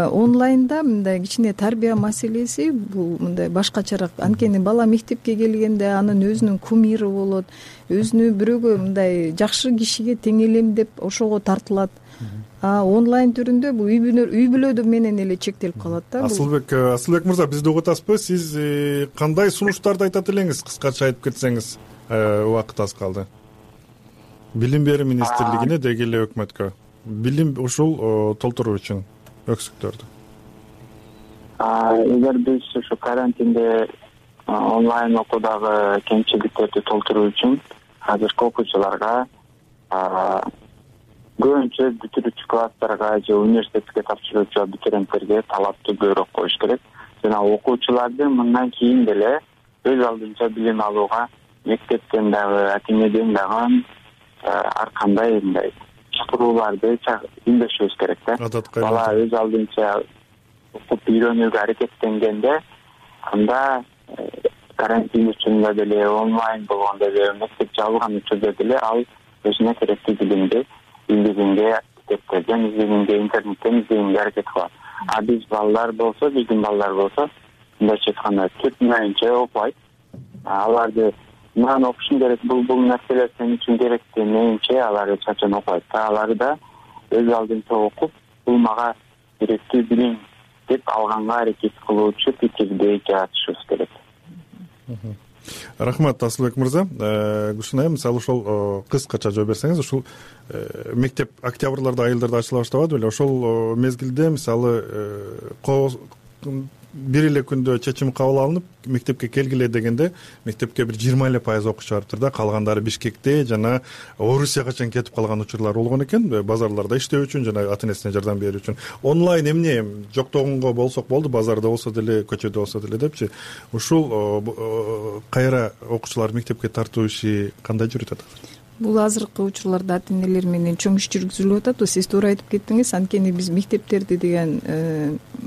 Speaker 8: Онлайнда мындай кичине тарбия маселеси бул мындай башкачараак. Анткени бала мектепке келгенде анын өзүнүн кумири болот, өзүнү бирөөгө мындай жакшы кишиге теңелем деп ошого тартылат. А онлайн түрүндө бул үй бүлөдө менен эле чектелип калат да.
Speaker 3: Асылбек, Асылбек мырза, бизди угуп атасызбы? Сиз кандай сунуштарды айтат элеңиз? Кыскача айтып кетсеңиз, убакыт аз калды. Билим берүү министрлигине деги эле өкмөткө билим ушул толтуруу үчүн өксүктөрдү.
Speaker 10: Эгер биз ушу карантинде онлайн окуудагы кемчиликтерди толтуруу үчүн азыркы окуучуларга көбүнчө бүтүрүүчү класстарга же университетке тапшыруучу абитуриенттерге талапты көбүрөөк коюш керек. Жана окуучуларды мындан кийин деле өз алдынча билим алууга мектептен дагы, ата энеден дагы ар кандай мындай чакырууларды үндөшүбүз керек да. Бала өз алдынча окуп үйрөнүүгө аракеттенгенде, анда карантин учурунда деле, онлайн болгондо деле, мектеп жабылган учурда деле ал өзүнө керектүү билимди билдигинге, китептерден издегенге, интернеттен издегенге аракет кылат. А биз балдар болсо, биздин балдар болсо, мындайча айтканда түп менче окубайт. Аларды мындан окушуң керек, бул бул нерселер сен үчүн керек демейинче алар эч качан окубайт. Аларды да өз алдынча окуп, бул мага керектүү билим деп алганга аракет кылуучу пикирди жаратышыбыз керек.
Speaker 3: рахмат Асылбек мырза. Гүлшин айым, мисалы ошол кыскача жооп берсеңиз, ушул мектеп октябрларда, айылдарда ачыла баштабады беле? Ошол мезгилде мисалы бир эле күндө чечим кабыл алынып, мектепке келгиле дегенде, мектепке бир жыйырма эле пайыз окуучу барыптыр да, калгандары Бишкекте жана Орусияга чейин кетип калган учурлар болгон экен, базарларда иштөө үчүн жана ата энесине жардам берүү үчүн. Онлайн эмне жоктогонго болсок болду, базарда болсо деле, көчөдө болсо деле депчи. Ушул кайра окуучулар мектепке тартуу иши кандай жүрүп атат?
Speaker 8: Бул азыркы учурларда ата энелер менен чоң иш жүргүзүлүп атат. Сиз туура айтып кеттиңиз. Анткени биз мектептерди деген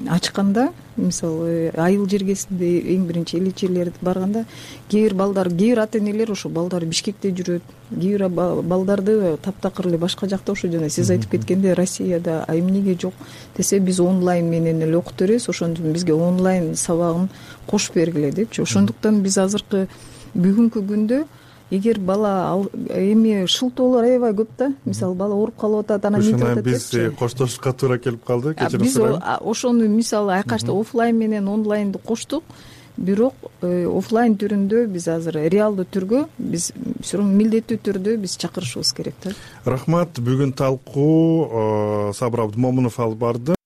Speaker 8: ачканда, мисалы айыл жергесинде эң биринчи элечелер барганда, кээ бир балдар, кээ бир ата энелер ошо балдары Бишкекте жүрөт, кээ бир балдарды таптакыр эле башка жакта, ошо жана сиз айтып кеткендей Россияда, а эмнеге жок десе, биз онлайн менен эле окуп беребиз, ошондуктан бизге онлайн сабагын кошуп бергиле депчи. Ошондуктан биз азыркы бүгүнкү күндө эгер бала эми шылтоолор аябай көп да, мисалы бала ооруп калып атат, анан эмнетип атат депчи.
Speaker 3: Биз коштошушка туура келип калды.
Speaker 8: Биз ошону мисалы айкашта офлайн менен онлайнды коштук, бирок офлайн түрүндө биз азыр реалдуу түргө биз все равно милдеттүү түрдө биз чакырышыбыз керек да.
Speaker 3: Рахмат. Бүгүн талкуу Сабыр Абдымомунов алып барды.